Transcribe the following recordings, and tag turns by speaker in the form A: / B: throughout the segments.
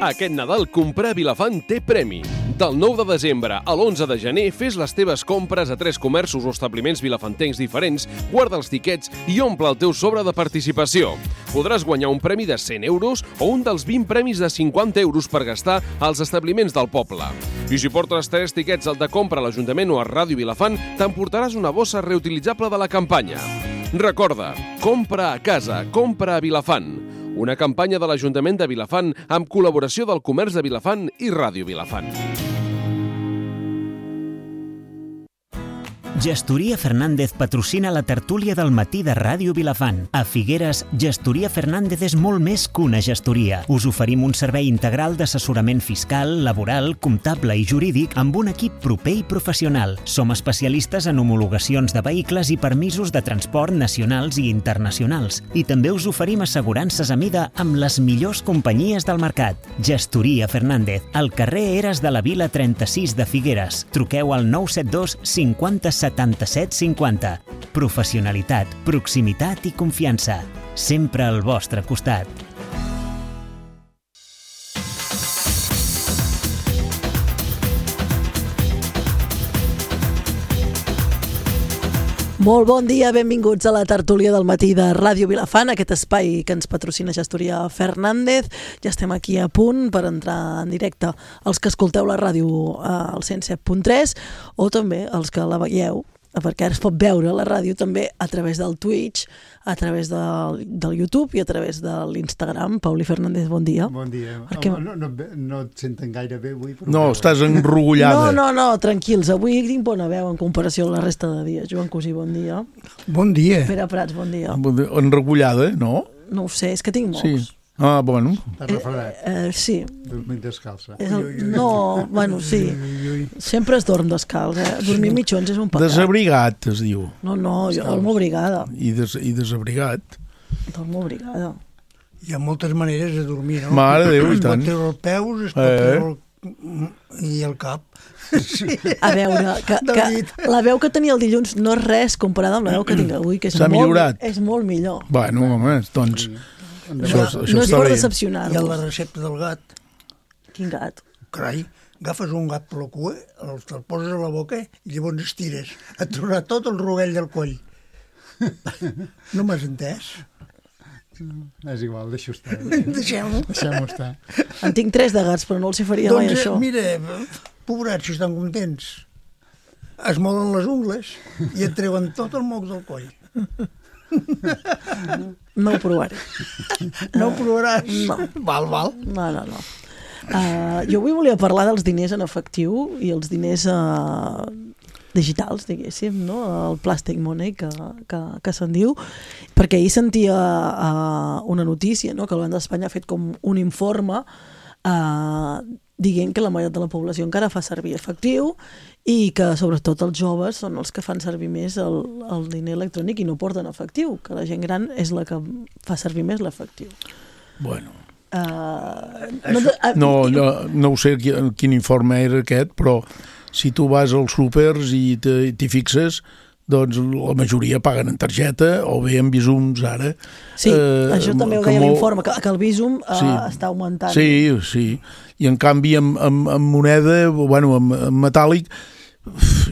A: Aquest Nadal comprar a Vilafant té premi. Del 9 de desembre a l'11 de gener fes les teves compres a 3 comerços o establiments vilafantencs diferents, guarda els tiquets i omple el teu sobre de participació. Podràs guanyar un premi de 100 euros o un dels 20 premis de 50 euros per gastar als establiments del poble. I si portes 3 tiquets al de compra a l'Ajuntament o a Ràdio Vilafant, t'emportaràs una bossa reutilitzable de la campanya. Recorda, compra a casa, compra a Vilafant. Una campanya de l'Ajuntament de Vilafant amb col·laboració del Comerç de Vilafant i Ràdio Vilafant.
B: Gestoria Fernández patrocina la tertúlia del matí de Ràdio Vilafant. A Figueres, Gestoria Fernández és molt més que una gestoria. Us oferim un servei integral d'assessorament fiscal, laboral, comptable i jurídic amb un equip proper i professional. Som especialistes en homologacions de vehicles i permisos de transport nacionals i internacionals. I també us oferim assegurances a mida amb les millors companyies del mercat. Gestoria Fernández, al carrer Eres de la Vila 36 de Figueres. Truqueu al 972 50 77 50. Professionalitat, proximitat i confiança. Sempre al vostre costat.
C: Molt bon dia, benvinguts a la tertúlia del matí de Ràdio Vilafant, aquest espai que ens patrocina Gestoria Fernández. Ja estem aquí a punt per entrar en directe els que escolteu la ràdio al 107.3 o també els que la veieu, perquè ara es pot veure la ràdio també a través del Twitch, a través del YouTube i a través de l'Instagram. Pauli Fernández, bon dia.
D: Bon dia. No et senten gaire bé avui. Però
E: no, estàs enrogullada.
C: No, tranquils. Avui tinc bona veu en comparació a la resta de dies. Joan Cosí, bon dia.
E: Bon dia.
C: Pere Prats, bon dia.
E: Enrogullada, no?
C: No ho sé, és que tinc molts.
E: Sí. Ah, bueno.
D: T'has refredat?
C: Sí.
D: Dormint descalça.
C: No, bueno, sí. Sempre es dorm descalç, Dormir mitjons és un pecat.
E: Desabrigat, es diu.
C: No, jo dormo abrigada.
E: I desabrigat.
C: Dormo abrigada.
F: Hi ha moltes maneres de dormir, no?
E: Mare de Déu, i tant.
F: Es pot treure els peus, es pot treure i el cap.
C: Sí. A veure, que la veu que tenia el dilluns no és res comparada amb la veu que tinc avui, que és molt millor.
E: Bueno, home, doncs...
C: Això no és per decepcionar.
F: I la recepta del gat.
C: Quin gat?
F: Carai, agafes un gat per la cua, te'l poses a la boca i llavors estires. Et trobarà tot el rovell del coll. No m'has entès?
D: És igual, deixo estar.
F: Deixem-ho
D: estar.
C: En tinc 3 de gats, però no els hi faria mai això.
F: Doncs mira, pobrats, si estan contents. Es molen les ungles i et treuen tot el moc del coll.
C: No ho provaré.
F: No ho provaràs?
C: No.
F: Val.
C: No. Jo avui volia parlar dels diners en efectiu i els diners digitals, diguéssim, no? El plastic money, que se'n diu, perquè ahir sentia una notícia, no? Que el Banc d'Espanya ha fet com un informe dient que la meitat de la població encara fa servir efectiu i que sobretot els joves són els que fan servir més el diner electrònic i no porten efectiu, que la gent gran és la que fa servir més l'efectiu.
E: Bueno.
C: No
E: ho sé quin informe era aquest, però si tu vas als súpers i t'hi fixes, doncs la majoria paguen en targeta o bé en Bizums ara.
C: Sí, això també ho deia l'informe, que el Bizum està augmentant.
E: Sí. I en canvi amb moneda, amb metàl·lic,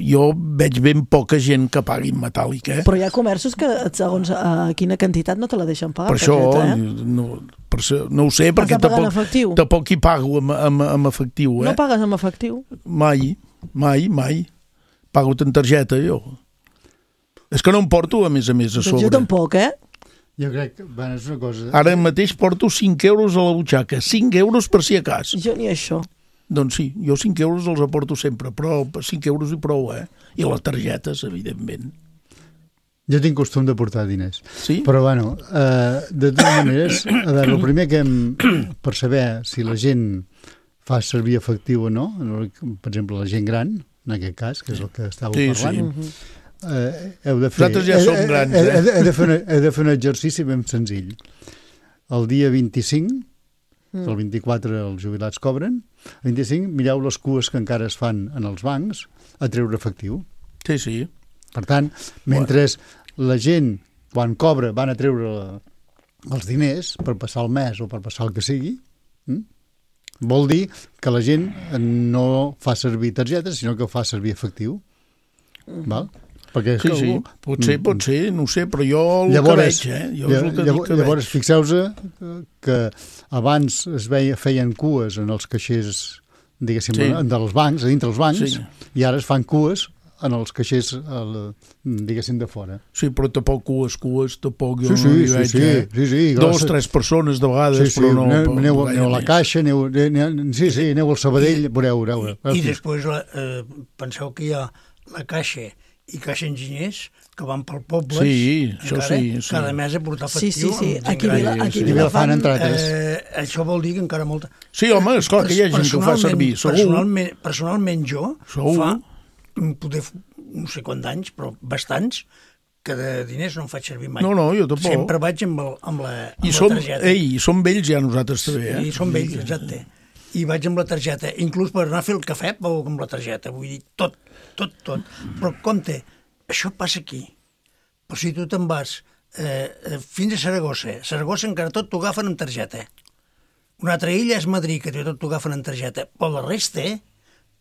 E: jo veig ben poca gent que pagui en metàl·lic.
C: Però hi ha comerços que segons quina quantitat no te la deixen pagar.
E: Per això, no ho sé, perquè tampoc hi pago amb efectiu.
C: No pagues amb efectiu?
E: Mai. Pago en targeta, jo. És que no em porto, a més, a sobre.
C: Doncs jo tampoc,
D: Jo crec que, és una cosa...
E: Ara mateix porto 5 euros a la butxaca. 5 euros per si a cas.
C: Jo ni això.
E: Doncs sí, jo 5 euros els aporto sempre, però 5 euros i prou, I les targetes, evidentment.
D: Jo tinc costum de portar diners.
E: Sí?
D: Però, de totes maneres, a veure, el primer que per saber si la gent fa servir efectiu o no, per exemple, la gent gran, en aquest cas, que és el que estàveu parlant, heu de fer...
E: Nosaltres ja som grans,
D: Heu de fer un exercici ben senzill. El dia 25, el 24 els jubilats cobren, el 25 mireu les cues que encara es fan en els bancs a treure efectiu.
E: Sí.
D: Per tant, mentre la gent, quan cobra, van a treure els diners per passar el mes o per passar el que sigui, Vol dir que la gent no fa servir targetes, sinó que fa servir efectiu. Val? Perquè
E: Sí, pot ser, no ho sé, però jo el que veig, jo és el que dic que
D: llavors,
E: veig.
D: fixeu-vos que abans feien cues en els caixers, diguéssim, dels bancs, a dintre els bancs, i ara es fan cues en els caixers, diguéssim, de fora.
E: Sí, però tampoc cues, tampoc jo no hi veig.
D: Sí,
E: 2 o 3 persones de vegades, però no...
D: Aneu a la caixa, aneu al Sabadell, veureu.
F: I després penseu que hi ha la caixa i caixa enginyers que van pel poble.
E: Sí, això sí.
F: Cada mes a portar efectiu.
C: Sí. Aquí a
D: Vilafant, entre altres.
F: Això vol dir que encara molta...
E: Sí, home, esclar que hi ha gent que ho fa servir, segur.
F: Personalment jo, fa poder no sé quants anys, però bastants, que de diners no en faig servir mai.
E: No, jo tampoc.
F: Sempre vaig amb la targeta.
E: I som vells ja nosaltres també,
F: I som vells, exacte. I vaig amb la targeta. Inclús per anar a fer el cafè vau amb la targeta. Vull dir, tot. Però compte, això passa aquí. Però si tu te'n vas fins a Saragossa encara tot t'ho agafen amb targeta. Una altra illa és Madrid, que tot t'ho agafen amb targeta. Però la resta,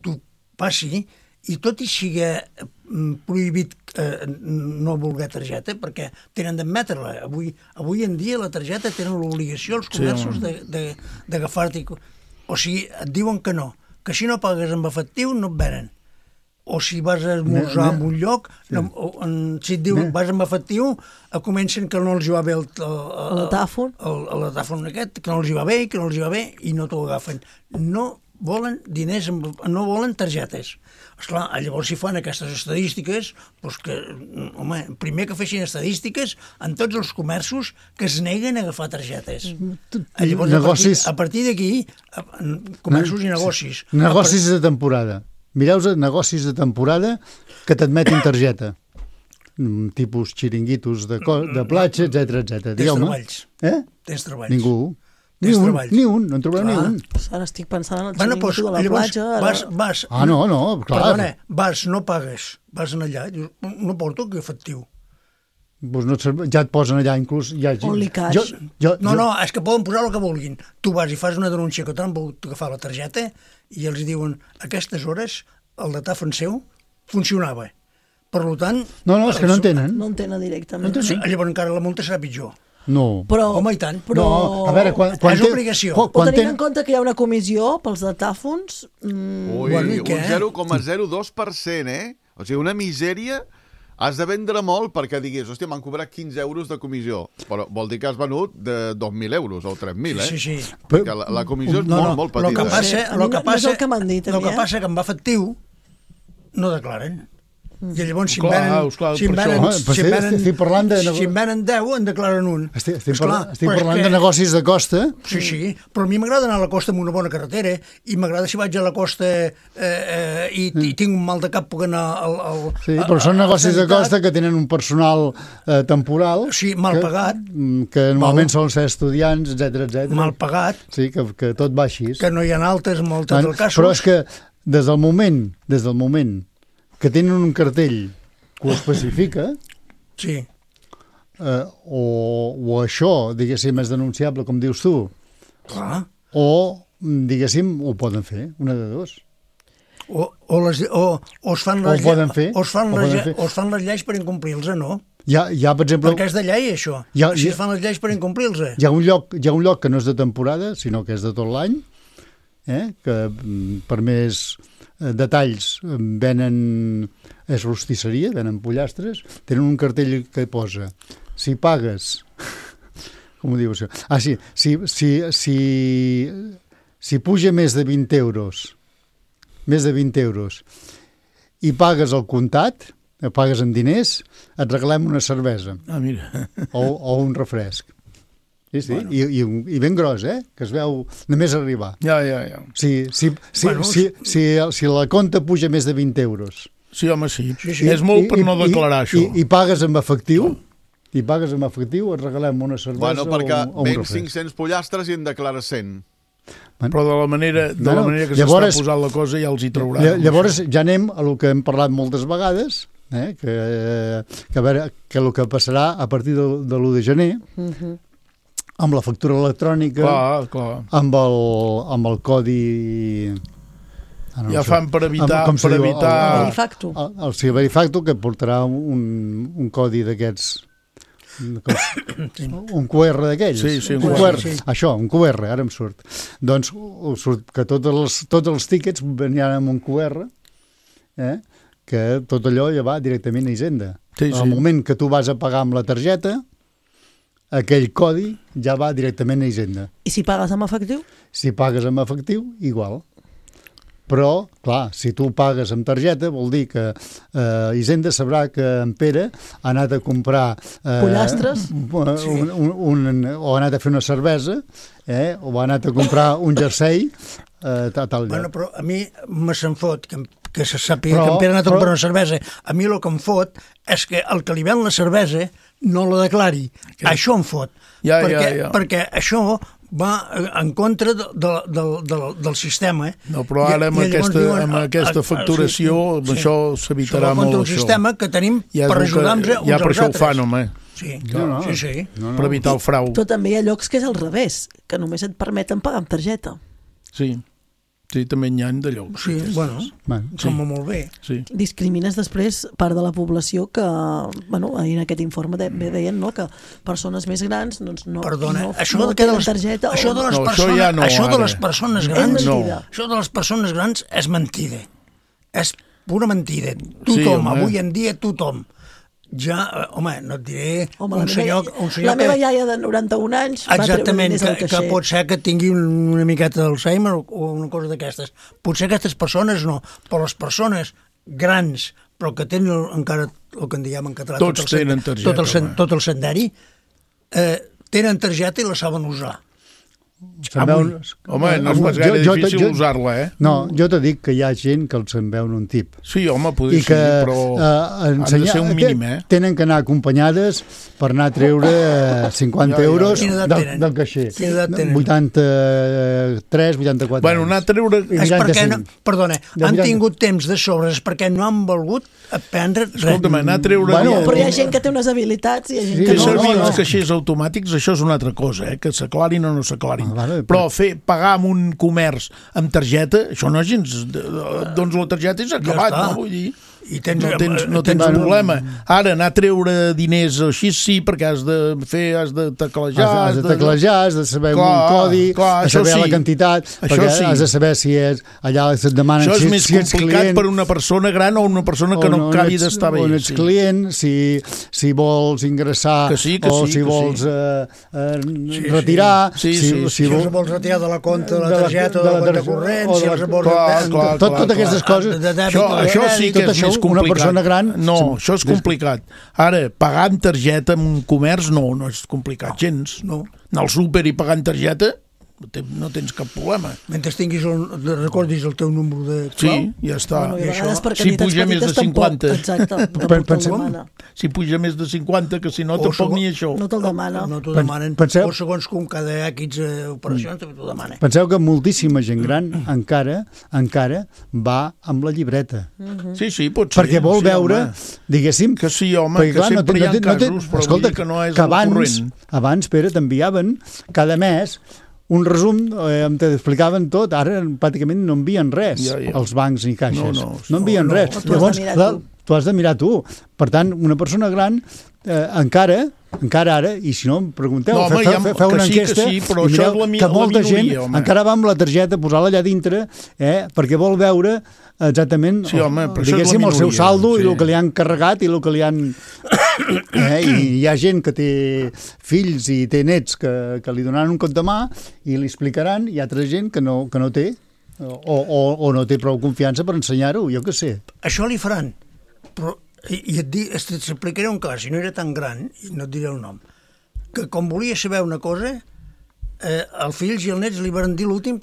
F: tu passi, i tot i sigui prohibit no voler targeta, perquè tenen d'admetre-la. Avui en dia la targeta tenen l'obligació els comerços d'agafar-t'hi. O sigui, et diuen que no, que si no pagues amb efectiu no et venen. O si vas a esmorzar en un lloc, si et diuen vas amb efectiu, comencen que no els hi va bé
C: el
F: tàfon aquest, que no els hi va bé, i no t'ho agafen. No volen diners, no volen targetes. Esclar, llavors si fan aquestes estadístiques, doncs que, home, primer que fessin estadístiques en tots els comerços que es neguen a agafar targetes. Llavors, a partir d'aquí, comerços i negocis.
D: Negocis de temporada. Mireu-vos negocis de temporada que t'admetin targeta. Tipus xiringuitos de platja, etc.
F: Tens treballs. Tens treballs.
D: Ningú. Ni un, no en trobareu ni un.
C: Ara estic pensant en el xiringuito de la platja.
D: No, clar.
F: Perdona, no pagues, vas allà, dius, no porto que efectiu.
D: Ja et posen allà inclús...
C: Only cash.
F: No, és que poden posar el que vulguin. Tu vas i fas una denúncia que t'han volgut agafar la targeta i els diuen a aquestes hores el datàfon seu funcionava. Per tant...
D: No, és que no en tenen.
C: No en tenen directament.
F: Llavors encara la multa serà pitjor.
D: No.
F: Home, i tant.
D: No, a veure,
F: és obligació.
C: Però tenint en compte que hi ha una comissió pels datàfons...
G: Ui, un 0,02%, O sigui, una misèria... Has de vendre molt perquè diguis, hòstia, m'han cobrat 15 euros de comissió, però vol dir que has venut de 2.000 euros o 3.000,
F: Sí.
G: Perquè la comissió és molt petita.
F: El que passa
C: que m'han dit,
F: que en efectiu no declaren. I llavors si en venen 10 en declaren un.
D: Estic parlant de negocis de costa.
F: Sí, però a mi m'agrada anar a la costa amb una bona carretera i m'agrada si vaig a la costa i tinc un mal de cap puc anar
D: Sí, però són negocis de costa que tenen un personal temporal.
F: Sí, mal pagat.
D: Que normalment solen ser estudiants, etc.
F: Mal pagat.
D: Sí, que tot va així.
F: Que no hi ha altes, moltes dels casos.
D: Però és que des del moment que tenen un cartell que ho especifica,
F: sí.
D: O això, diguéssim, és denunciable, com dius tu,
F: clar.
D: O, diguéssim, ho poden fer, una de dos.
F: O es fan les lleis per incomplir-los, no?
D: Hi ha, per exemple...
F: Perquè és de llei, això. Si es fan les lleis per incomplir-los.
D: Hi ha un lloc que no és de temporada, sinó que és de tot l'any, que per més detalls és rostisseria, venen pollastres, tenen un cartell que posa si pagues com ho diu això? Si puja més de 20 euros i pagues el comptat, pagues en diners, et regalem una cervesa o un refresc. Sí, bueno. I ben gros, que es veu només arribar.
E: Ja.
D: Si la compta puja més de 20 euros.
E: Sí, home, sí. És molt per no declarar això.
D: I pagues amb efectiu, et regalem una cervesa o un refresc.
G: Perquè ven 500 pollastres i en declares 100.
E: Però de la manera que s'està posant la cosa ja els hi trauran.
D: Llavors ja anem a el que hem parlat moltes vegades, que a veure el que passarà a partir de l'1 de gener, amb la factura electrònica,
E: Clar.
D: amb el codi...
E: Ja fan per evitar...
C: El Verifacto.
D: El Verifacto, que portarà un codi d'aquests... Un QR d'aquells.
E: Sí,
D: un QR. Això, un QR, ara em surt. Doncs surt que tots els tíquets veniran amb un QR, que tot allò ja va directament a Hisenda. Al moment que tu vas a pagar amb la targeta, aquell codi ja va directament a Hisenda.
C: I si pagues amb efectiu?
D: Si pagues amb efectiu, igual. Però, clar, si tu pagues amb targeta, vol dir que Hisenda sabrà que en Pere ha anat a comprar...
C: pollastres?
D: O ha anat a fer una cervesa, o ha anat a comprar un jersei, tal lloc.
F: Bueno, però a mi me se'n fot que se sàpiga que en Pere ha anat a comprar una cervesa. A mi el que em fot és que el que li ven la cervesa no la declari. Això em fot. Perquè això va en contra del sistema.
E: No, però ara amb aquesta facturació això s'evitarà molt.
F: Això va contra un sistema que tenim per ajudar-nos uns als altres.
E: Ja per això ho fan, home.
F: Sí.
E: Per evitar el frau.
C: Però també hi ha llocs que és al revés, que només et permeten pagar amb targeta.
E: Sí, també n'hi ha de llocs.
F: Sí, bueno, sembla molt bé.
E: Sí.
C: Discrimines després part de la població que, ahir en aquest informe deien que persones més grans no tenen targeta.
F: Això de les persones grans és mentida. És pura mentida. Tothom, avui en dia tothom. Ja, no et diré un senyor...
C: La meva iaia de 91 anys va treure diners al caixer.
F: Que pot ser que tingui una miqueta d'Alzheimer o una cosa d'aquestes. Potser aquestes persones no, però les persones grans, però que tenen encara el que en diem en català...
E: Tots tenen targeta.
F: Tot el senderi, tenen targeta i la saben usar.
E: Home, no és pas gaire difícil usar-la,
D: No, jo t'he dit que hi ha gent que se'n veuen un tip.
E: Sí, home, podria ser, però han de ser un mínim,
D: Tenen que anar acompanyades per anar a treure 50 euros del caixer. 83, 84
E: Bueno, anar a treure...
F: És perquè, perdona, han tingut temps de sobres perquè no han volgut aprendre res.
E: Escolta'm, anar a treure...
C: Però hi ha gent que té unes habilitats i hi ha gent que
E: no. Fer servir els caixers automàtics, això és una altra cosa, que s'aclarin o no s'aclarin. Però pagar amb un comerç amb targeta, això no és gens... Doncs la targeta és acabat, no? Vull dir... No tens problema. Ara, anar a treure diners així sí, perquè has de teclejar...
D: Has de teclejar, has de saber un codi, has de saber la quantitat, perquè has de saber si és... Allà et demanen
E: si ets client... Això és més complicat per una persona gran o una persona que no acabi d'estar bé.
D: O ets client, si vols ingressar o si vols retirar...
F: Si els vols retirar de la compta de la targeta o de la compta corrent, si els vols...
D: Totes aquestes coses...
E: Això sí que és més complicat.
D: Una persona gran...
E: No, això és complicat. Ara, pagar amb targeta en un comerç no és complicat gens. No. Anar al súper i pagar amb targeta no tens cap problema.
F: Mentre recordis el teu número de
E: clau. Sí, ja està.
C: Si
E: puja més de 50.
C: Exacte.
E: Si puja més de 50, que si no, tampoc ni això.
C: No te'l demana.
F: No t'ho demanen. O segons com cada X operacions també t'ho demanen.
D: Penseu que moltíssima gent gran encara va amb la llibreta.
E: Sí, pot ser.
D: Perquè vol veure, diguéssim...
E: Que sí, home, que sempre hi ha casos, però vull dir que no és el corrent.
D: Abans, Pere, t'enviaven cada mes un resum, t'explicaven tot, ara pràcticament no envien res, els bancs ni caixes. No envien res. Llavors, tu has de mirar tu. Per tant, una persona gran encara ara, i si no em pregunteu, feu una enquesta i mireu que molta gent encara va amb la targeta a posar-la allà dintre perquè vol veure exactament, diguéssim, el seu saldo i el que li han carregat i el que li han... I hi ha gent que té fills i té nets que li donaran un cop de mà i li explicaran, i hi ha altra gent que no té o no té prou confiança per ensenyar-ho, jo què sé.
F: Això li faran, però t'explicaré un cas, si no era tan gran, i no et diré el nom, que com volia saber una cosa, els fills i els nets li van dir l'últim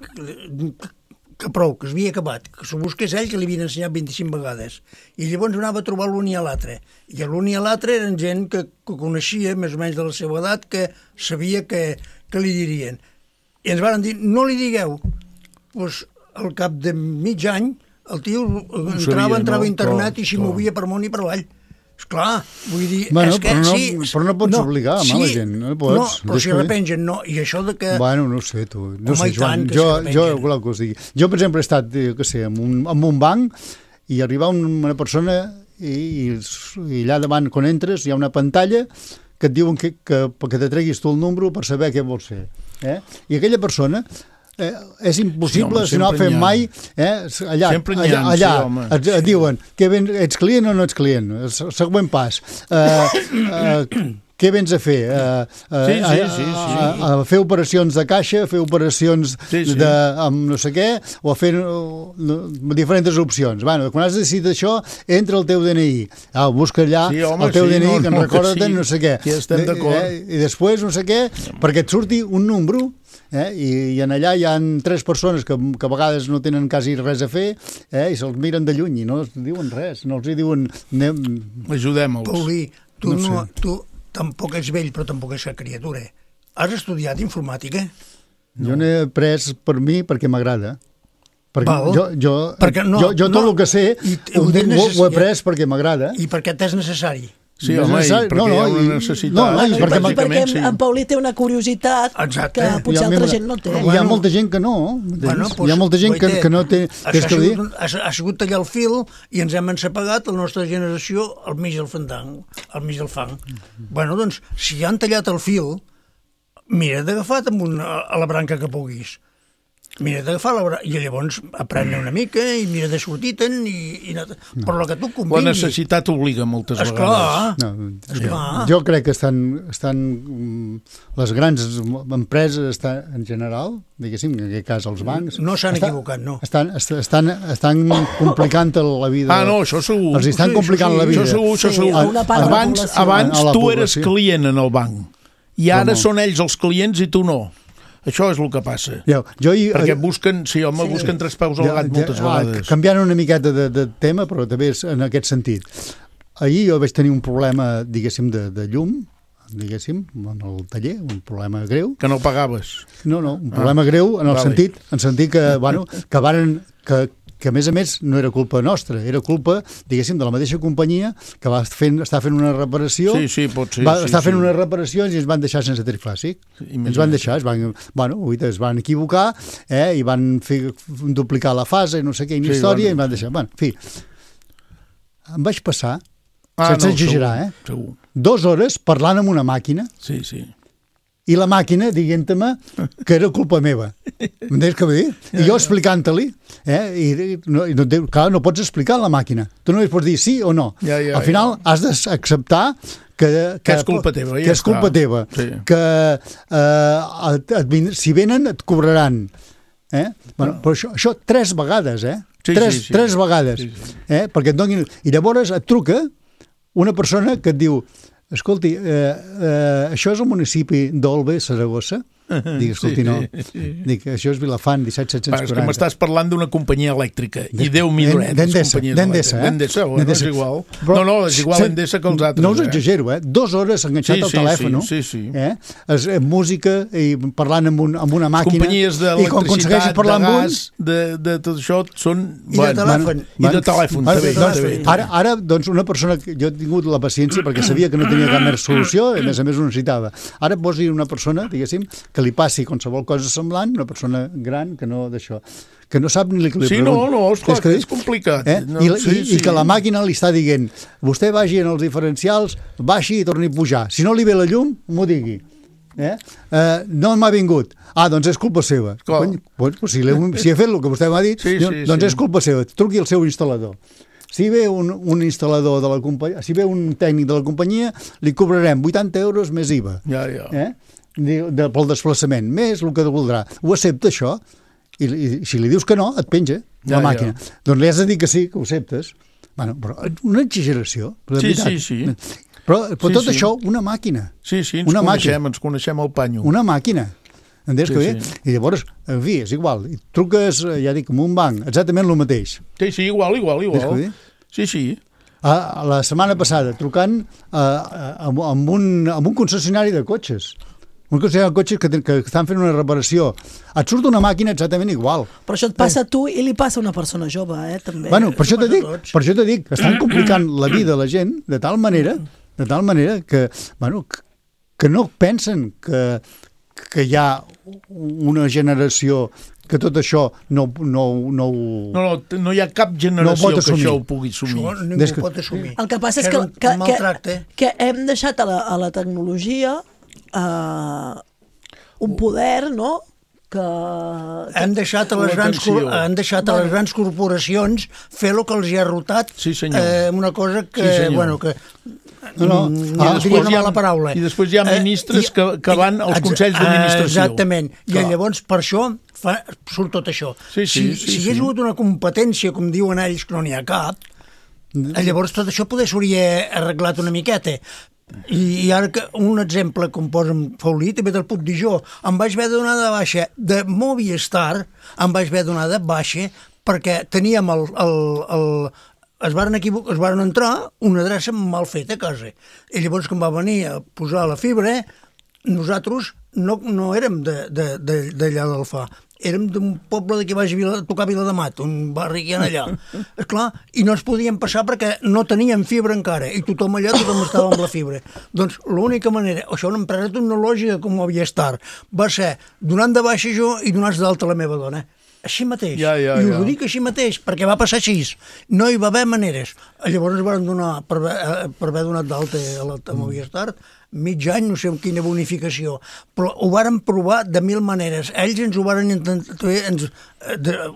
F: que prou, que s'havia acabat, que s'ho busqués ell, que li havien ensenyat 25 vegades. I llavors anava a trobar l'un i l'altre. I l'un i l'altre eren gent que coneixia, més o menys de la seva edat, que sabia que li dirien. I ens van dir, no li digueu. Doncs al cap de mig any, el tio entrava a internet i s'hi movia per món i per avall. Esclar, vull dir...
D: Bueno, però no pots obligar a la gent. No pots.
F: No, però si repengen, no. I això de que...
D: Bueno, no sé, tu. No sé, Joan. Jo voleu que us digui. Jo, per exemple, he estat, què sé, en un banc i arriba una persona i allà davant, quan entres, hi ha una pantalla que et diuen que te treguis tu el número per saber què vols fer. I aquella persona... és impossible, si no ha fet mai allà et diuen ets client o no ets client, següent pas què vens a fer? A fer operacions de caixa, a fer operacions amb no sé què, o a fer diferents opcions. Bueno, quan has decidit això, entra el teu DNI. Busca allà el teu DNI, que en recorda no sé què. I després no sé què, perquè et surti un número. I en allà hi ha 3 persones que a vegades no tenen quasi res a fer i se'ls miren de lluny i no els diuen res, no els diuen
E: ajudem-los.
F: Paulí, tu tampoc ets vell però tampoc ets criatura. Has estudiat informàtica?
D: Jo n'he après per mi perquè m'agrada. Perquè jo tot el que sé ho he après perquè m'agrada.
F: I perquè t'és necessari.
E: Sí, home, perquè hi ha una necessitat.
C: Perquè en Paulí té una curiositat que potser altra gent no té.
D: Hi ha molta gent que no. Hi ha molta gent que no té...
F: Ha sigut tallar el fil i ens hem ensapegat la nostra generació al mig del fang. Bueno, doncs, si han tallat el fil, mira d'agafar a la branca que puguis. Mira d'agafar i llavors aprendre una mica i mira de sortir-te'n per lo que tu convingui.
E: La necessitat obliga moltes vegades.
D: Jo crec que estan les grans empreses en general, diguéssim, en aquest cas els bancs...
F: No s'han equivocat, no.
D: Estan complicant la vida.
E: No, això segur.
D: Els estan complicant la vida.
E: Això segur. Abans tu eres client en el banc i ara són ells els clients i tu no. Això és el que passa. Perquè busquen tres peus al gat moltes vegades.
D: Canviant una miqueta de tema, però també en aquest sentit. Ahir jo vaig tenir un problema, diguéssim, de llum, diguéssim, en el taller, un problema greu.
E: Que no pagaves.
D: No, un problema greu en el sentit que a més no era culpa nostra, era culpa, diguéssim, de la mateixa companyia que està fent una reparació.
E: Sí, pot ser.
D: Està fent una reparació i ens van deixar sense trifàsic. Ens van deixar, es van equivocar i van duplicar la fase, no sé què, història, i ens van deixar. En fi, em vaig passar, sense exagerar, 2 hores parlant amb una màquina.
E: Sí.
D: I la màquina dient-me que era culpa meva. M'entens què vull dir? I jo explicant-li, clar, no pots explicar a la màquina. Tu només pots dir sí o no. Al final has d'acceptar que
E: és culpa teva.
D: Que és culpa teva. Que si venen et cobraran. Però això 3 vegades, 3 vegades. Perquè et donin... I llavors et truca una persona que et diu: escolti, això és el municipi d'Olbe, Saragossa? Dic, escolti, no. Dic, això és Vilafant, 17.740.
E: És que m'estàs parlant d'una companyia elèctrica. I Déu m'hi duret.
D: D'Endesa,
E: D'Endesa, és igual. No, és igual Endesa que els altres.
D: No us exagero, 2 hores enganxat al telèfon. Música i parlant amb una màquina.
E: Companyies d'electricitat, de gas, de tot això són...
F: I de telèfon.
E: I de telèfon, també.
D: Ara, doncs, una persona... Jo he tingut la paciència perquè sabia que no tenia cap més solució i, a més ho necessitava. Ara posi una persona, diguéssim, que li passi qualsevol cosa semblant, una persona gran que no d'això, que no sap ni el que li pregunta.
E: No, esclar, és complicat.
D: I que la màquina li està dient: vostè vagi en els diferencials, baixi i torni a pujar. Si no li ve la llum, m'ho digui. No m'ha vingut. Doncs és culpa seva. Si ha fet el que vostè m'ha dit, doncs és culpa seva. Truqui al seu instal·lador. Si ve un instal·lador de la companyia, si ve un tècnic de la companyia, li cobrarem 80 euros més IVA. Pel desplaçament, més el que voldrà. Ho accepta, això? I si li dius que no, et penja la màquina. Doncs li has de dir que sí, que ho acceptes. Però una exageració.
E: Sí.
D: Però tot això, una màquina.
E: Sí, ens coneixem el panyo.
D: Una màquina. Entens que bé? I llavors, en fi, és igual. Truques, ja dic, en un banc, exactament el mateix.
E: Sí, igual. Sí.
D: La setmana passada, trucant amb un concessionari de cotxes. Un concessionari de cotxes que estan fent una reparació. Et surt una màquina exactament igual.
C: Però això et passa a tu i li passa a una persona jove, també.
D: Bueno, per això t'he dit, estan complicant la vida a la gent de tal manera que, bueno, que no pensen que hi ha una generació que tot això no
E: hi ha cap generació que això ho pugui assumir.
F: Això ningú ho pot assumir.
C: El que passa és que hem deixat a la tecnologia un poder, no?,
F: han deixat a les grans corporacions fer el que els hi ha rotat, una cosa que, bueno, que diria una mala paraula.
E: I després hi ha ministres que van als consells d'administració.
F: Exactament, i llavors per això surt tot això. Si hi hagués hagut una competència, com diuen ells, que no n'hi ha cap, llavors tot això poder s'hauria arreglat una miqueta. I ara un exemple que em posa Faulí també te'l puc dir jo. Em vaig haver de donar de baixa de Movistar, perquè teníem es varen entrar una adreça mal feta a casa. I llavors quan va venir a posar la fibra, nosaltres no érem d'allà d'Alfà, érem d'un poble que vaig tocar Viladamat, un barri que hi ha allà. Esclar, i no ens podíem passar perquè no teníem fibra encara, i tothom estava amb la fibra. Doncs l'única manera, això una empresa tecnològica com Movistar, va ser donant de baixa jo i donar d'alta la meva dona. Així mateix. I us ho dic així mateix, perquè va passar així. No hi va haver maneres. Llavors ens van donar, per haver donat d'alta a Movistar, mig any, no sé amb quina bonificació, però ho varen provar de 1000 maneres. Ells ens ho varen intentar,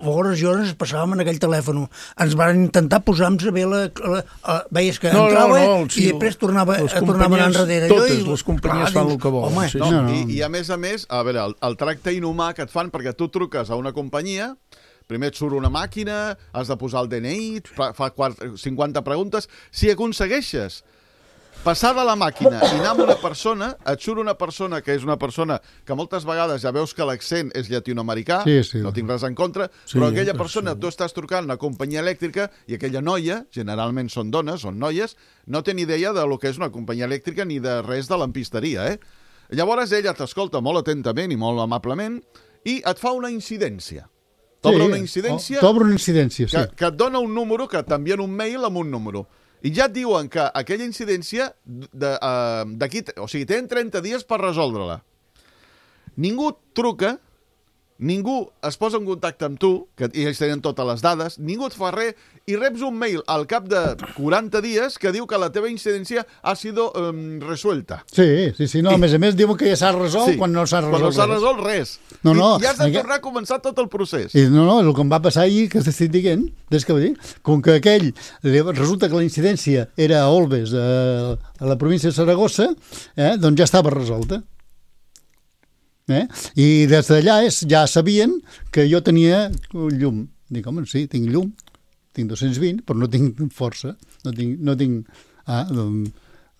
F: hores i hores passàvem en aquell telèfon, ens varen intentar posar-nos bé veies que entrava i després tornaven enrere.
E: Totes les companyies fan el que volen.
G: I a més, a veure, el tracte inhumà que et fan, perquè tu truques a una companyia, primer et surt una màquina, has de posar el DNI, fa 50 preguntes, si aconsegueixes passar de la màquina i anar amb una persona, et surt una persona que és una persona que moltes vegades ja veus que l'accent és llatinoamericà, no tinc res en contra, però aquella persona, tu estàs trucant una companyia elèctrica i aquella noia, generalment són dones, són noies, no té ni idea de lo que és una companyia elèctrica ni de res de lampisteria, Llavors ella t'escolta molt atentament i molt amablement i et fa una incidència. T'obre una incidència que et dona un número, que t'envien un mail amb un número. I ja et diuen que aquella incidència d'aquí, o sigui, tenen 30 dies per resoldre-la. Ningú truca, ningú es posa en contacte amb tu, i ells tenen totes les dades, ningú et fa res, i reps un mail al cap de 40 dies que diu que la teva incidència ha sido resuelta.
D: Sí, no, a més diuen que ja s'ha resolt quan no s'ha resolt res.
G: Quan no s'ha resolt res. I has de tornar a començar tot el procés.
D: No, el que em va passar ahir, que t'estic dient, és que com que aquell, resulta que la incidència era a Olbes, a la província de Saragossa, doncs ja estava resolta. I des d'allà ja sabien que jo tenia llum. Dic, home, sí, tinc llum, tinc 220, però no tinc força, no tinc...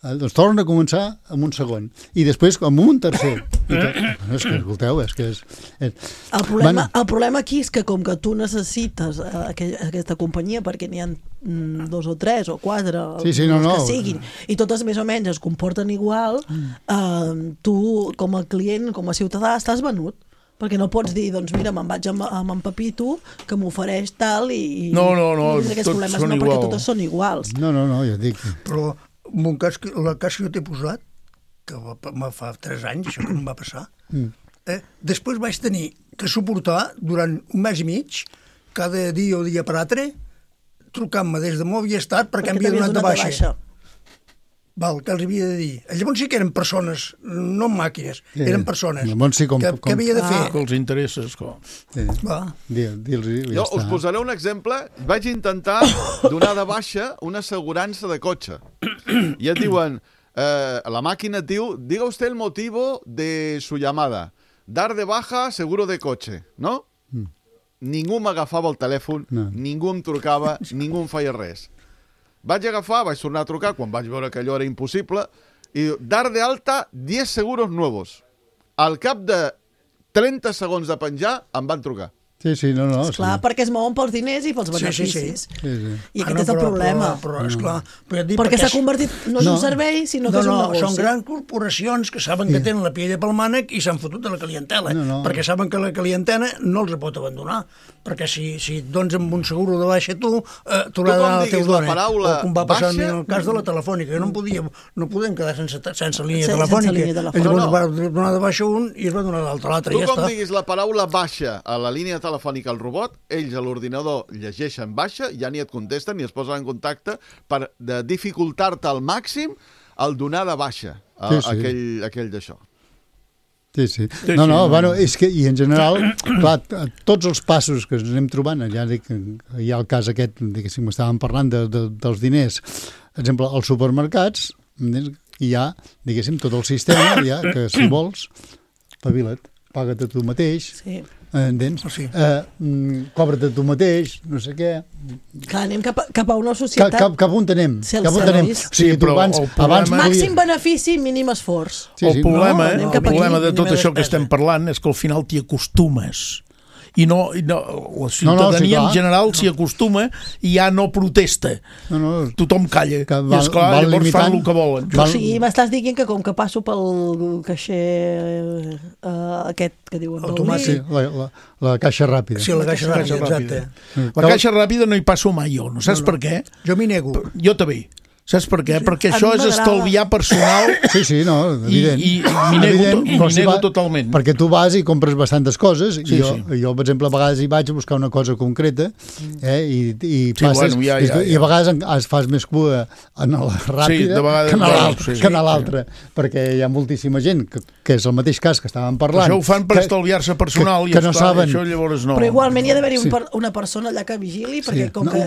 D: doncs torna a començar amb un segon i després amb un tercer. És que, escolteu, és que és...
C: El problema aquí és que com que tu necessites aquesta companyia perquè n'hi ha 2 o 3 o 4 que siguin, i totes més o menys es comporten igual, tu com a client, com a ciutadà, estàs venut. Perquè no pots dir, doncs mira, me'n vaig amb en Pepito, que m'ofereix tal i...
E: No, tots són iguals.
C: Perquè totes són iguals.
D: No, ja et dic.
F: Però el cas que jo t'he posat, que fa 3 anys, això que em va passar, després vaig tenir que suportar durant un mes i mig, cada dia o dia per altre, trucant-me des de Movistar perquè em havia donat de baixa. Que els havia de dir. Llavors sí que eren persones, no màquines, eren persones. Què havia de fer?
E: Que els interesses, com.
G: Jo us posaré un exemple. Vaig intentar donar de baixa una assegurança de cotxe. I et diuen, la màquina et diu, diga usted el motivo de su llamada. Dar de baja seguro de coche, ¿no? Ningú m'agafava el telèfon, ningú em trucava, ningú em feia res. Vaig agafar, vaig tornar a trucar quan vaig veure que allò era impossible i dar de alta 10 seguros nuevos. Al cap de 30 segons de penjar em van trucar.
D: Sí, no.
C: Esclar, perquè es mouen pels diners i pels beneficis.
D: Sí.
C: I aquest és el problema.
F: Però esclar,
C: perquè s'ha convertit, no és un servei, sinó que és un negoci.
F: Són grans corporacions que saben que tenen la piella pel mànec i s'han fotut de la clientela, perquè saben que la clientela no els pot abandonar, perquè si et dones amb un seguro de baixa tu l'ha de donar al teu dona. O com va passar en el cas de la telefònica, que no podem quedar sense línia telefònica. Llavors va donar de baixa un i es va donar l'altre,
G: Tu com diguis la paraula baixa a la línia telefònica al robot, ells a l'ordinador llegeixen baixa, ja ni et contesten ni es posen en contacte per dificultar-te al màxim el donar de baixa aquell d'això.
D: Sí. Bueno, és que, i en general, clar, tots els passos que ens anem trobant, ja dic, hi ha el cas aquest, diguéssim, estàvem parlant dels diners, per exemple, als supermercats hi ha, diguéssim, tot el sistema, que si vols, espavila't, paga't a tu mateix, entens? Cobra't a tu mateix, no sé què.
C: Clar, anem cap a una societat...
D: Cap on anem. O sigui, tu abans...
C: Màxim benefici, mínim esforç.
E: El problema de tot això que estem parlant és que al final t'hi acostumes. I la ciutadania en general s'hi acostuma i ja no protesta. Tothom calla. I esclar, llavors fan el que volen.
C: O sigui, m'estàs dient que com que passo pel caixer aquest que diuen
D: automàtic, la caixa ràpida.
F: Sí, la caixa ràpida, exacte.
E: La caixa ràpida no hi passo mai jo, no saps per què?
F: Jo m'hi nego.
E: Jo també. Saps per què? Perquè això és estalviar personal.
D: Sí, no, evident.
E: I m'hi nego totalment.
D: Perquè tu vas i compres bastantes coses. Jo, per exemple, a vegades hi vaig a buscar una cosa concreta i passes, i a vegades fas més cua en la ràpida que en l'altra. Perquè hi ha moltíssima gent que és el mateix cas que estàvem parlant.
E: Això ho fan per estalviar-se personal i això llavors no.
C: Però igualment hi ha d'haver una persona allà que vigili, perquè com que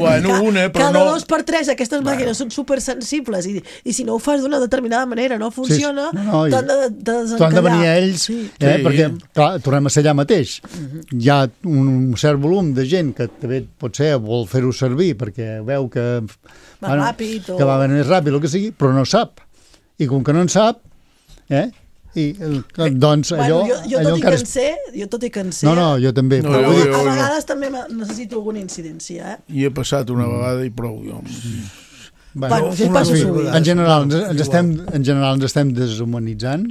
C: cada 2 per 3 aquestes màquines són supersensibles i si no ho fas d'una determinada manera no funciona, t'han de desencallar.
D: T'han de venir a ells, perquè clar, tornem a ser allà mateix. Hi ha un cert volum de gent que també potser vol fer-ho servir perquè veu que va més ràpid, el que sigui, però no sap. I com que no en sap, doncs allò...
C: Jo tot i que en sé...
D: No, jo també.
C: A vegades també necessito alguna incidència.
E: I he passat una vegada i prou, jo.
D: En general ens estem deshumanitzant,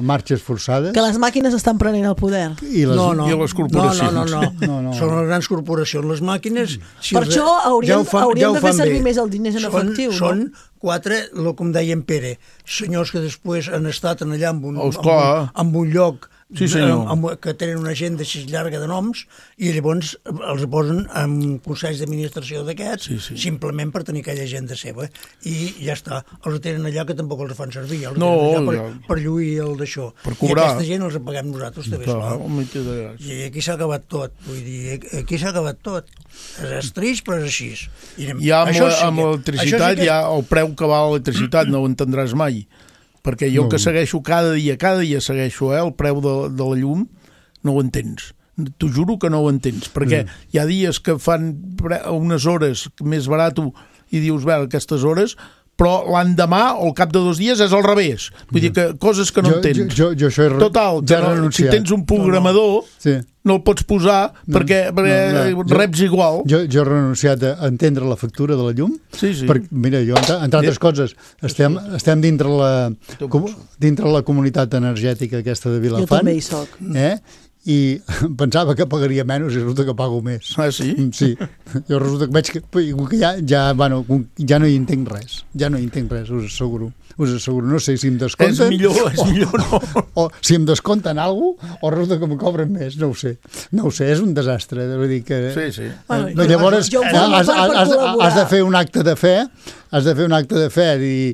D: marxes forçades.
C: Que les màquines estan prenent el poder.
E: I les corporacions.
F: No. Són les grans corporacions, les màquines...
C: Per això hauríem de fer servir més el diners en efectiu.
F: Són 4, com deia en Pere, senyors que després han estat allà en un lloc que tenen una agenda així llarga de noms i llavors els posen en consells d'administració d'aquests simplement per tenir aquella agenda seva i ja està, els tenen allà que tampoc els fan servir, els tenen allà per lluir el d'això, i aquesta gent els paguem nosaltres també, i aquí s'ha acabat tot, vull dir, aquí s'ha acabat tot, és trist però és així.
E: Ja amb l'electricitat, ja el preu que val l'electricitat no ho entendràs mai, perquè jo que segueixo cada dia segueixo el preu de la llum, no ho entens. T'ho juro que no ho entens, perquè hi ha dies que fan unes hores més barat i dius, bé, aquestes hores, però l'endemà o al cap de 2 dies és al revés. Vull dir que coses que no entens. Total, si tens un programador no el pots posar perquè reps igual.
D: Jo he renunciat a entendre la factura de la llum. Mira, jo, entre altres coses, estem dintre la comunitat energètica aquesta de Vilafant.
C: Jo també hi soc.
D: I pensava que pagaria menys i resulta que pago més.
E: Ah, sí?
D: Sí. Jo resulta que veig que ja no hi entenc res. Us asseguro. No sé si em descompten...
E: És millor no.
D: O si em descompten alguna cosa o resulta que em cobren més, no ho sé. És un desastre. Vull dir que...
E: Sí.
D: Llavors has de fer un acte de fe, i,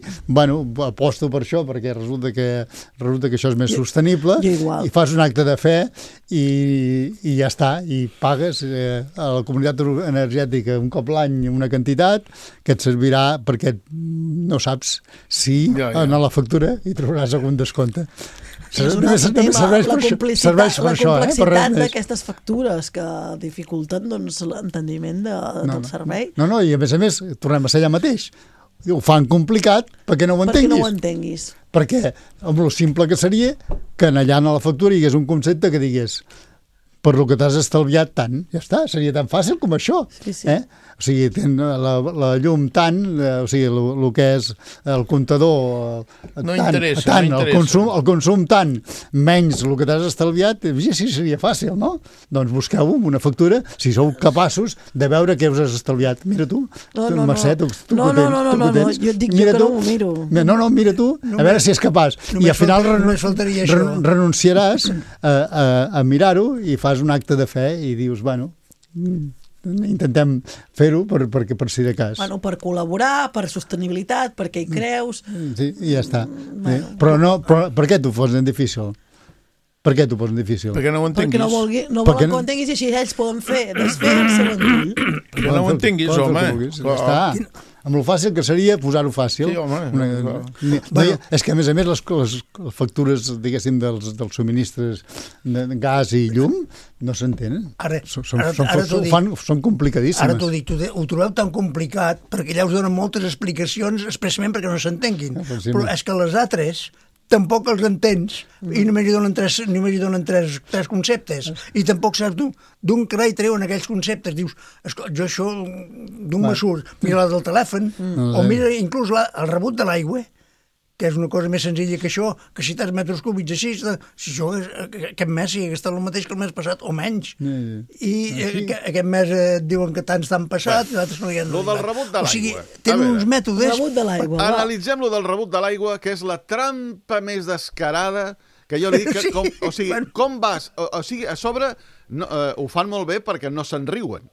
D: aposto per això, perquè resulta que això és més sostenible, i fas un acte de fe i ja està, i pagues a la comunitat energètica un cop l'any una quantitat que et servirà perquè no saps si en la factura hi trobaràs algun descompte.
C: És un altre tema, la complexitat d'aquestes factures que dificulten l'entendiment del servei.
D: No, i a més, tornem a ser allà mateix. Ho fan complicat perquè no ho
C: entenguis.
D: Perquè amb lo simple que seria que allà a la factura hi hagués un concepte que digués per lo que t'has estalviat tant. Ja està, seria tan fàcil com això.
C: Sí.
D: O sigui, la llum tant, o sigui, el que és el comptador
E: no
D: tant,
E: interessa,
D: tant,
E: no
D: el consum tant, menys el que t'has estalviat, sí, seria fàcil, no? Doncs busqueu una factura, si sou capaços de veure què us has estalviat. Mira tu, Mercè, tu
C: no, jo et dic que no ho miro.
D: No, mira tu, a veure si és capaç. I al final renunciaràs a mirar-ho i fas un acte de fe i dius, bueno, intentem fer-ho per si de cas.
C: Bueno, per col·laborar, per sostenibilitat, perquè hi creus...
D: Sí, i ja està. Però per què t'ho posen difícil? Per què t'ho posen difícil?
E: Perquè no ho entenguis.
C: Perquè no volen que ho entenguis i així ells poden desfer-se ventull.
E: Perquè no ho entenguis, home.
D: Està. Amb el fàcil que seria posar-ho fàcil.
E: Sí, home.
D: És que, a més, les factures, diguéssim, dels subministres de gas i llum no s'entenen. Són complicadíssimes.
F: Ara t'ho dic, ho trobeu tan complicat perquè allà us donen moltes explicacions expressament perquè no s'entenguin. Però és que les altres tampoc els entens i només hi donen tres conceptes i tampoc saps d'un carai treuen aquells conceptes. Dius, jo això d'on me surt? Mira la del telèfon o mira inclús el rebut de l'aigua, que és una cosa més senzilla que això, que si tants metres cúbics així, si jo aquest mes he gastat el mateix que el mes passat o menys. I aquest mes diuen que tants t'han passat i l'altres no hi ha...
G: Lo del rebut de l'aigua.
F: O sigui, tenen uns mètodes...
C: Rebut de l'aigua.
G: Analitzem lo del rebut de l'aigua, que és la trampa més descarada que jo li dic que... O sigui, com vas... O sigui, a sobre ho fan molt bé perquè no se'n riuen.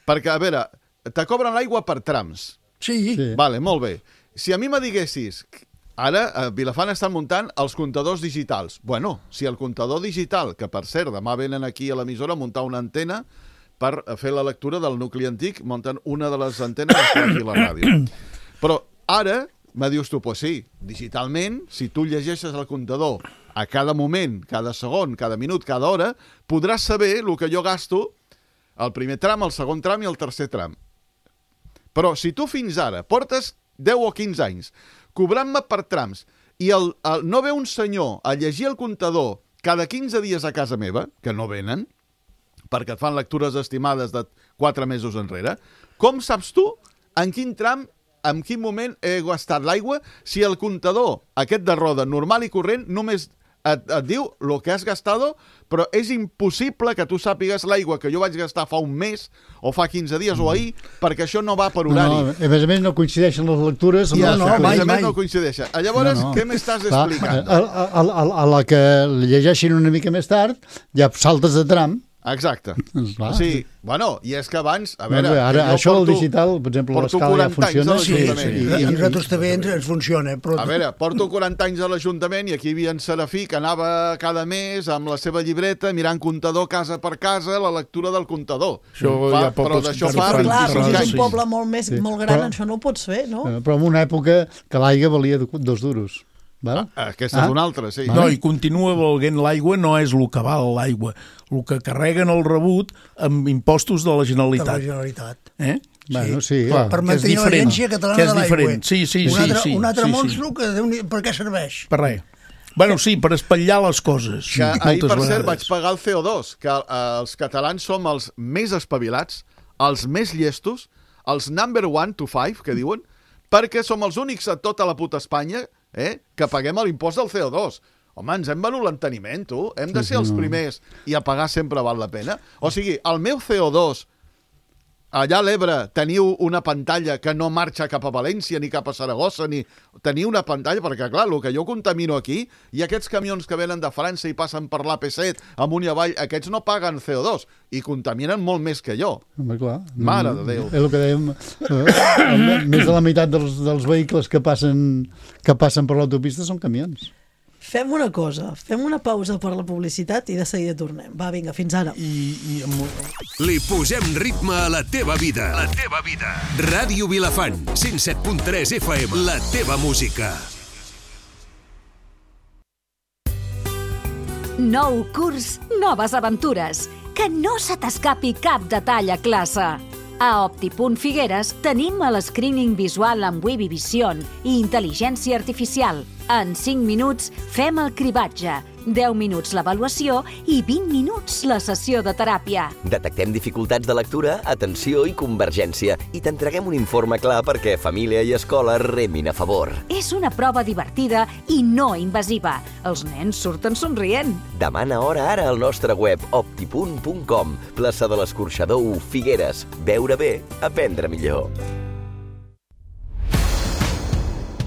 G: Perquè, a veure, te cobren l'aigua per trams.
F: Sí.
G: Vale, molt bé. Si a mi me diguessis... Ara, a Vilafant estan muntant els comptadors digitals. Bueno, si el comptador digital, que per cert, demà venen aquí a l'emissora a muntar una antena per fer la lectura del nucli antic, munten una de les antenes que està aquí a la ràdio. Però ara, me dius tu, pues sí, digitalment, si tu llegeixes el comptador a cada moment, cada segon, cada minut, cada hora, podràs saber el que jo gasto el primer tram, el segon tram i el tercer tram. Però si tu fins ara portes 10 o 15 anys cobrant-me per trams, i no ve un senyor a llegir el comptador cada 15 dies a casa meva, que no venen, perquè et fan lectures estimades de 4 mesos enrere, com saps tu en quin tram, en quin moment he gastat l'aigua, si el comptador, aquest de roda, normal i corrent, només et diu el que has gastat, però és impossible que tu sàpigues l'aigua que jo vaig gastar fa un mes o fa 15 dies o ahir, perquè això no va per horari.
D: No, a més no coincideixen les lectures.
G: Mai no coincideixen. Llavors, què m'estàs explicant?
D: A la que llegeixin una mica més tard, ja saltes de tram.
G: Exacte. Sí, bueno, i és que abans... A veure,
D: ara, això del digital, per exemple, l'escala ja funciona.
F: I a nosaltres també ens funciona.
G: A veure, porto 40 anys a l'Ajuntament i aquí hi havia en Serafí que anava cada mes amb la seva llibreta mirant comptador casa per casa, la lectura del comptador.
E: Però
G: d'això fa...
C: Clar, però si és un poble molt gran, això no ho pots fer, no?
D: Però en una època que l'aigua valia 2 duros.
G: Aquesta és una altra, sí.
E: No, i continua valent l'aigua, no és el que val l'aigua. El que carreguen el rebut amb impostos de la Generalitat.
F: De la Generalitat.
D: Bueno, sí,
F: per mantenir l'Agència Catalana de l'Aigua.
E: Sí.
F: Un altre monstru que per què serveix?
E: Per res. Bueno, sí, per espatllar les coses.
G: Que ahir, per cert, vaig pagar el CO2, que els catalans som els més espavilats, els més llestos, els number 1 to 5, que diuen, perquè som els únics a tota la puta Espanya que paguem l'impost del CO2. Home, ens hem venut l'enteniment, tu. Hem de ser els primers i a pagar sempre val la pena. O sigui, el meu CO2, allà a l'Ebre teniu una pantalla que no marxa cap a València ni cap a Saragossa, ni teniu una pantalla, perquè clar, el que jo contamino aquí, i aquests camions que venen de França i passen per l'AP7 amunt i avall, aquests no paguen CO2 i contaminen molt més que jo.
D: Home, clar.
G: Mare de Déu.
D: És el que dèiem, més de la meitat dels vehicles que passen per l'autopista són camions.
C: Fem una cosa, fem una pausa per la publicitat i de seguida tornem. Va, vinga, fins ara.
H: Li posem ritme a la teva vida. La teva vida. Ràdio Vilafant, 107.3 FM. La teva música.
I: Nou curs, noves aventures. Que no se t'escapi cap detall a classe. A Opti.Figueres tenim el screening visual amb Webvision i intel·ligència artificial. En 5 minuts fem el cribatge, 10 minuts l'avaluació i 20 minuts la sessió de teràpia.
J: Detectem dificultats de lectura, atenció i convergència i t'entreguem un informe clar perquè família i escola remin a favor.
I: És una prova divertida i no invasiva. Els nens surten somrient.
J: Demana hora ara al nostre web optipunt.com. Plaça de l'Escorxador 1, Figueres. Veure bé, aprendre millor.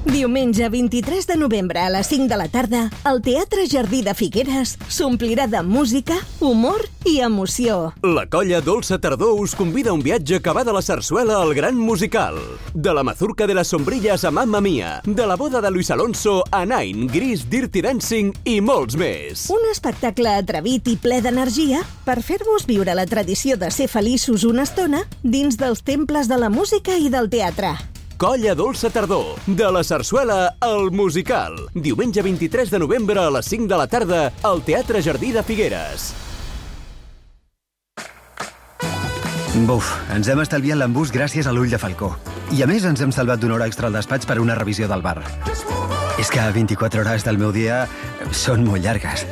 K: Diumenge 23 de novembre a les 5 de la tarda, el Teatre Jardí de Figueres s'omplirà de música, humor i emoció.
L: La colla Dolça Tardor us convida a un viatge que va de la sarsuela al gran musical. De la mazurca de las sombrillas a Mamma Mia, de la boda de Luis Alonso a Nine, Gris, Dirty Dancing i molts més.
K: Un espectacle atrevit i ple d'energia per fer-vos viure la tradició de ser feliços una estona dins dels temples de la música i del teatre.
L: Colla Dolça Tardor, de la sarsuela al musical. Diumenge 23 de novembre a les 5 de la tarda al Teatre Jardí de Figueres.
M: Buf, ens hem estalviat l'embús gràcies a l'ull de falcó. I a més ens hem salvat d'una hora extra al despatx per una revisió del bar. És que 24 hores del meu dia són molt llargues.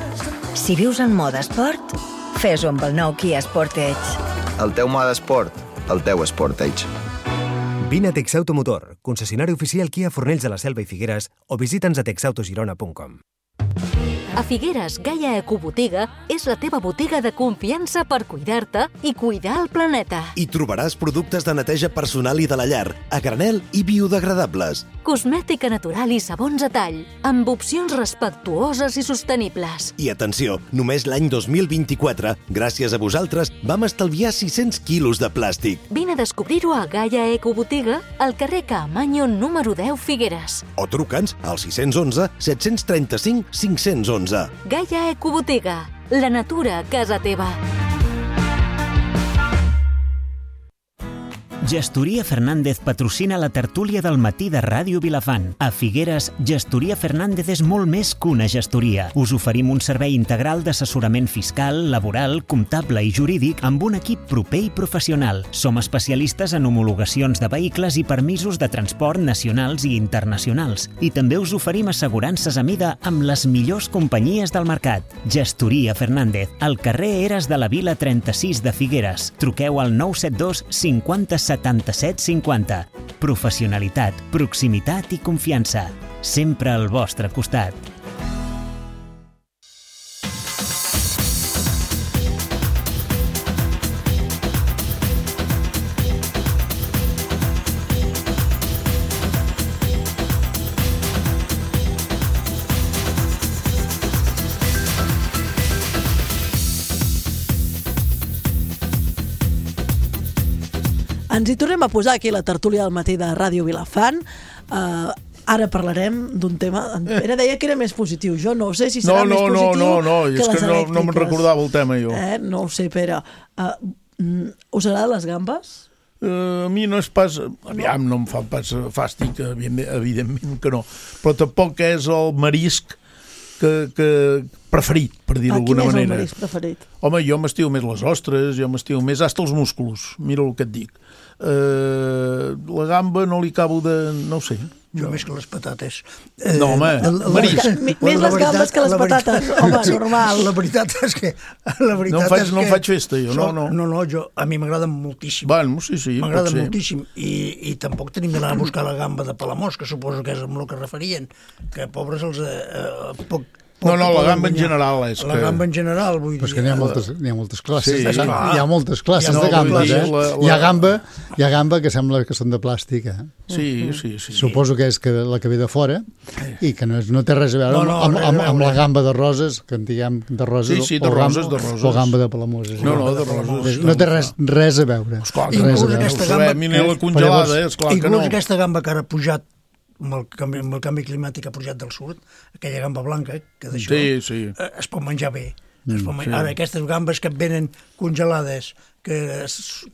N: Si vius en mode esport, fes-ho amb el nou Kia Sportage.
O: El teu mode esport, el teu Sportage.
P: Vine a Texautomotor, concessionari oficial Kia Fornells de la Selva i Figueres, o visita'ns a texautogirona.com.
I: A Figueres, Gaia Ecobotiga és la teva botiga de confiança per cuidar-te i cuidar el planeta.
Q: Hi trobaràs productes de neteja personal i de la llar, a granel i biodegradables.
I: Cosmètica natural i sabons a tall, amb opcions respectuoses i sostenibles.
Q: I atenció, només l'any 2024, gràcies a vosaltres, vam estalviar 600 quilos de plàstic.
I: Vine a descobrir-ho a Gaia Ecobotiga, al carrer Caamaño número 10, Figueres.
Q: O truca'ns al 611 735 511.
I: Gaia Ecobotiga, la natura a casa teva.
B: Gestoria Fernández patrocina la tertúlia del matí de Ràdio Vilafant. A Figueres, Gestoria Fernández és molt més que una gestoria. Us oferim un servei integral d'assessorament fiscal, laboral, comptable i jurídic amb un equip proper i professional. Som especialistes en homologacions de vehicles i permisos de transport nacionals i internacionals. I també us oferim assegurances a mida amb les millors companyies del mercat. Gestoria Fernández, al carrer Eres de la Vila 36 de Figueres. Truqueu al 972 50 77 50. Professionalitat, proximitat i confiança. Sempre al vostre costat.
C: Ens hi tornem a posar aquí la tertúlia del matí de Ràdio Vilafant. Ara parlarem d'un tema... En Pere deia que era més positiu. Jo no sé si serà més positiu que les elèctriques.
E: No me'n recordava el tema, jo.
C: No ho sé, Pere. Us agraden les gambes?
E: A mi no és pas... Aviam, no em fa pas fàstic, evidentment que no. Però tampoc és el marisc que preferit, per dir-ho d'alguna manera.
C: Quin és el marisc preferit?
E: Home, jo m'estimo més les ostres, jo m'estimo més hasta els músculs, mira el que et dic. La gamba no li acabo de... no ho sé.
F: Jo més que les patates.
E: No, home, marisc.
C: Més les gambes que les patates, home, normal.
F: La veritat és que...
E: No em faig festa, jo, no.
F: No, a mi m'agraden moltíssim.
E: Bueno, sí,
F: m'agraden moltíssim. I tampoc tenim d'anar a buscar la gamba de Palamós, que suposo que és amb el que referien, que pobres els...
E: No, la gamba en general és
F: que... La gamba en general, vull dir...
D: Però és que n'hi ha moltes classes.
E: Sí,
D: hi ha moltes classes de gambes, Hi ha gamba que sembla que són de plàstic,
E: Sí.
D: Suposo que és la que ve de fora i que no té res a veure amb la gamba de roses, que en diguem de roses,
E: sí, de roses.
D: O gamba de Palamoses.
E: No, de roses.
D: No té res a veure.
F: Inclús aquesta gamba...
E: la congelada, esclar que no.
F: Inclús aquesta gamba que ara ha pujat amb el canvi climàtic ha pujat del sud, aquella gamba blanca, que d'això es pot menjar bé. Ara, aquestes gambes que et venen congelades,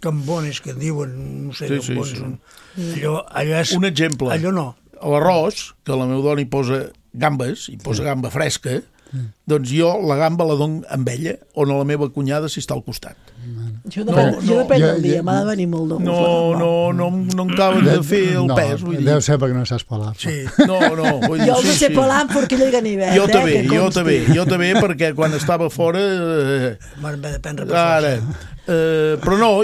F: cambones, que diuen, no sé, allò és...
E: Un exemple.
F: Allò no.
E: A l'arròs, que la meva dona hi posa gambes, hi posa gamba fresca, doncs jo la gamba la dono amb ella o a la meva cunyada si està al costat.
C: Jo depèn del dia, m'ha de venir molt d'ou.
E: No em acaben de fer el pes.
D: Deu ser perquè no saps pelar.
E: Sí, no.
C: Jo no sé pelar amb forquilla i ganivet.
E: Jo també, perquè quan estava fora...
F: M'han de prendre per força.
E: Però no,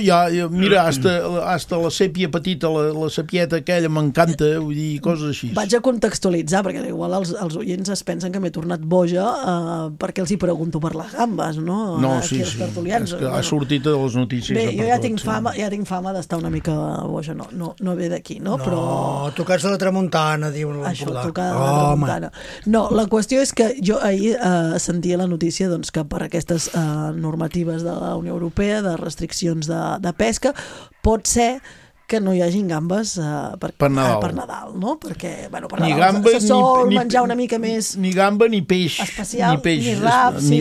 E: mira, hasta la sèpia petita, la sèpieta aquella m'encanta, vull dir, coses així.
C: Vaig a contextualitzar, perquè igual els oients es pensen que m'he tornat boja perquè els hi pregunto per les gambes, no?
E: No, sí, és que ha sortit a les notícies.
C: Bé, jo ja tinc fama d'estar una mica boja, no ve d'aquí, no?
F: No, tocats de la tramuntana, diuen l'Empordà.
C: Això, tocada de la tramuntana. No, la qüestió és que jo ahir sentia la notícia que per aquestes normatives de la Unió Europea, de restriccions de pesca, pot ser que no hi hagin gambes per Nadal, no? Perquè, bueno, per Nadal se sol menjar una mica més...
E: Ni gamba ni peix.
C: Especial, ni rap, sí.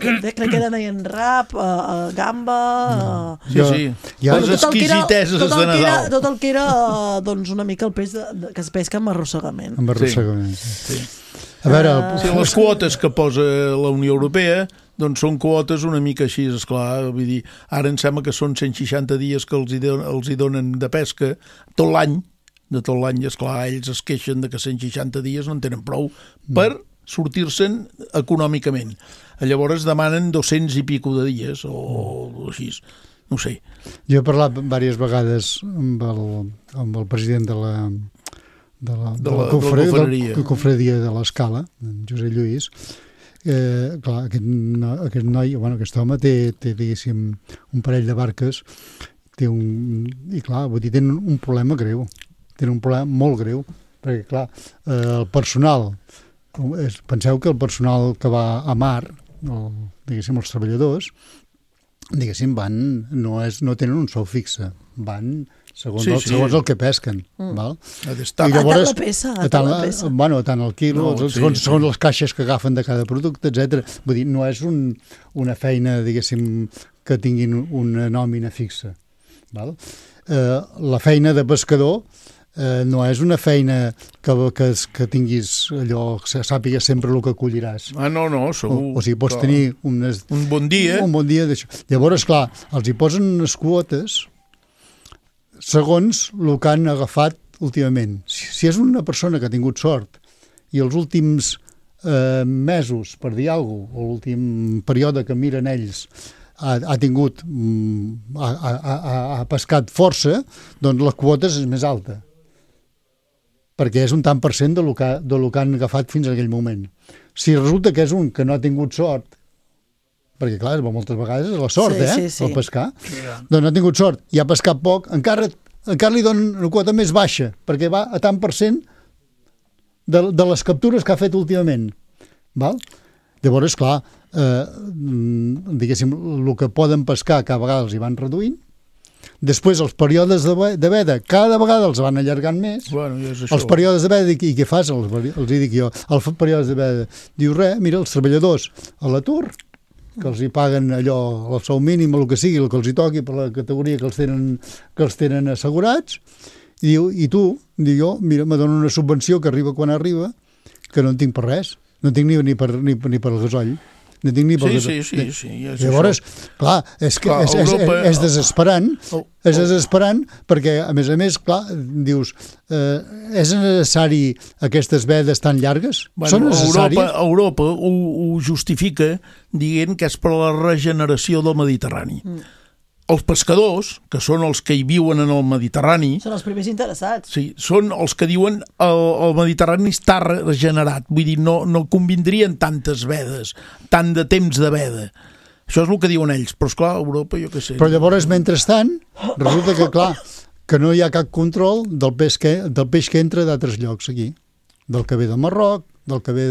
C: Crec que deien rap, gamba...
E: Sí. Les exquisiteses de Nadal.
C: Tot el que era, una mica el peix que es pesca amb arrossegament.
D: Amb arrossegament, sí.
E: A veure, les quotes que posa la Unió Europea doncs són quotes una mica així, esclar, vull dir, ara em sembla que són 160 dies que els hi donen de pesca tot l'any, esclar, ells es queixen de que 160 dies no en tenen prou per sortir-se'n econòmicament. Llavors demanen 200 i pico de dies o així, no sé.
D: Jo he parlat diverses vegades amb el president de la confraria de l'Escala, en Josep Lluís. Clar, aquest noi, aquest home té diguéssim un parell de barques i clar, vull dir, tenen un problema greu, tenen un problema molt greu, perquè clar, el personal, penseu que el personal que va a mar, diguéssim els treballadors, diguéssim no tenen un sou fixe, van segons el que pesquen, val?
C: I llavors a tant
D: el quilo, segons les caixes que agafen de cada producte, etc. Vull dir, no és una feina, diguéssim, que tinguin una nòmina fixa, val? La feina de pescador no és una feina que tinguis allò, que sàpigues sempre el que colliràs.
E: No, segur.
D: O sigui, pots tenir un
E: bon dia.
D: Un bon dia d'això. Llavors, clar, els hi posen unes quotes segons el que han agafat últimament. Si és una persona que ha tingut sort i els últims mesos, per dir alguna cosa, o l'últim període que miren ells, ha pescat força, doncs la quota és més alta, perquè és un tant per cent del que han agafat fins a aquell moment. Si resulta que és un que no ha tingut sort, perquè clar, moltes vegades és la sort, el pescar, doncs no ha tingut sort i ha pescat poc, encara li donen una quota més baixa, perquè va a tant per cent de les captures que ha fet últimament. Val? Llavors, clar, diguéssim, el que poden pescar cada vegada els hi van reduint. Després, els períodes de veda cada vegada els van allargant més. Els períodes de veda, i què fas? Els hi dic jo, els períodes de veda. Diu res, mira, els treballadors a l'atur, que els hi paguen allò, el sou mínim, el que sigui, el que els hi toqui per la categoria que els tenen assegurats, i diu, i tu, diu jo, mira, me donen una subvenció que arriba quan arriba, que no en tinc per res, no en tinc ni per el gasoll. No tinc ni per
E: sí.
D: Llavors, clar, és desesperant, perquè, a més, clar, dius, és necessari aquestes vedes tan llargues? Són necessàries?
E: Europa ho justifica dient que és per la regeneració del Mediterrani. Els pescadors, que són els que hi viuen en el Mediterrani...
C: Són els primers interessats.
E: Sí, són els que diuen el Mediterrani està regenerat. Vull dir, no convindrien tantes vedes, tant de temps de veda. Això és el que diuen ells. Però, esclar, a Europa, jo què sé...
D: Però llavors, mentrestant, resulta que, clar, que no hi ha cap control del peix que entra d'altres llocs aquí. Del que ve del Marroc, del que ve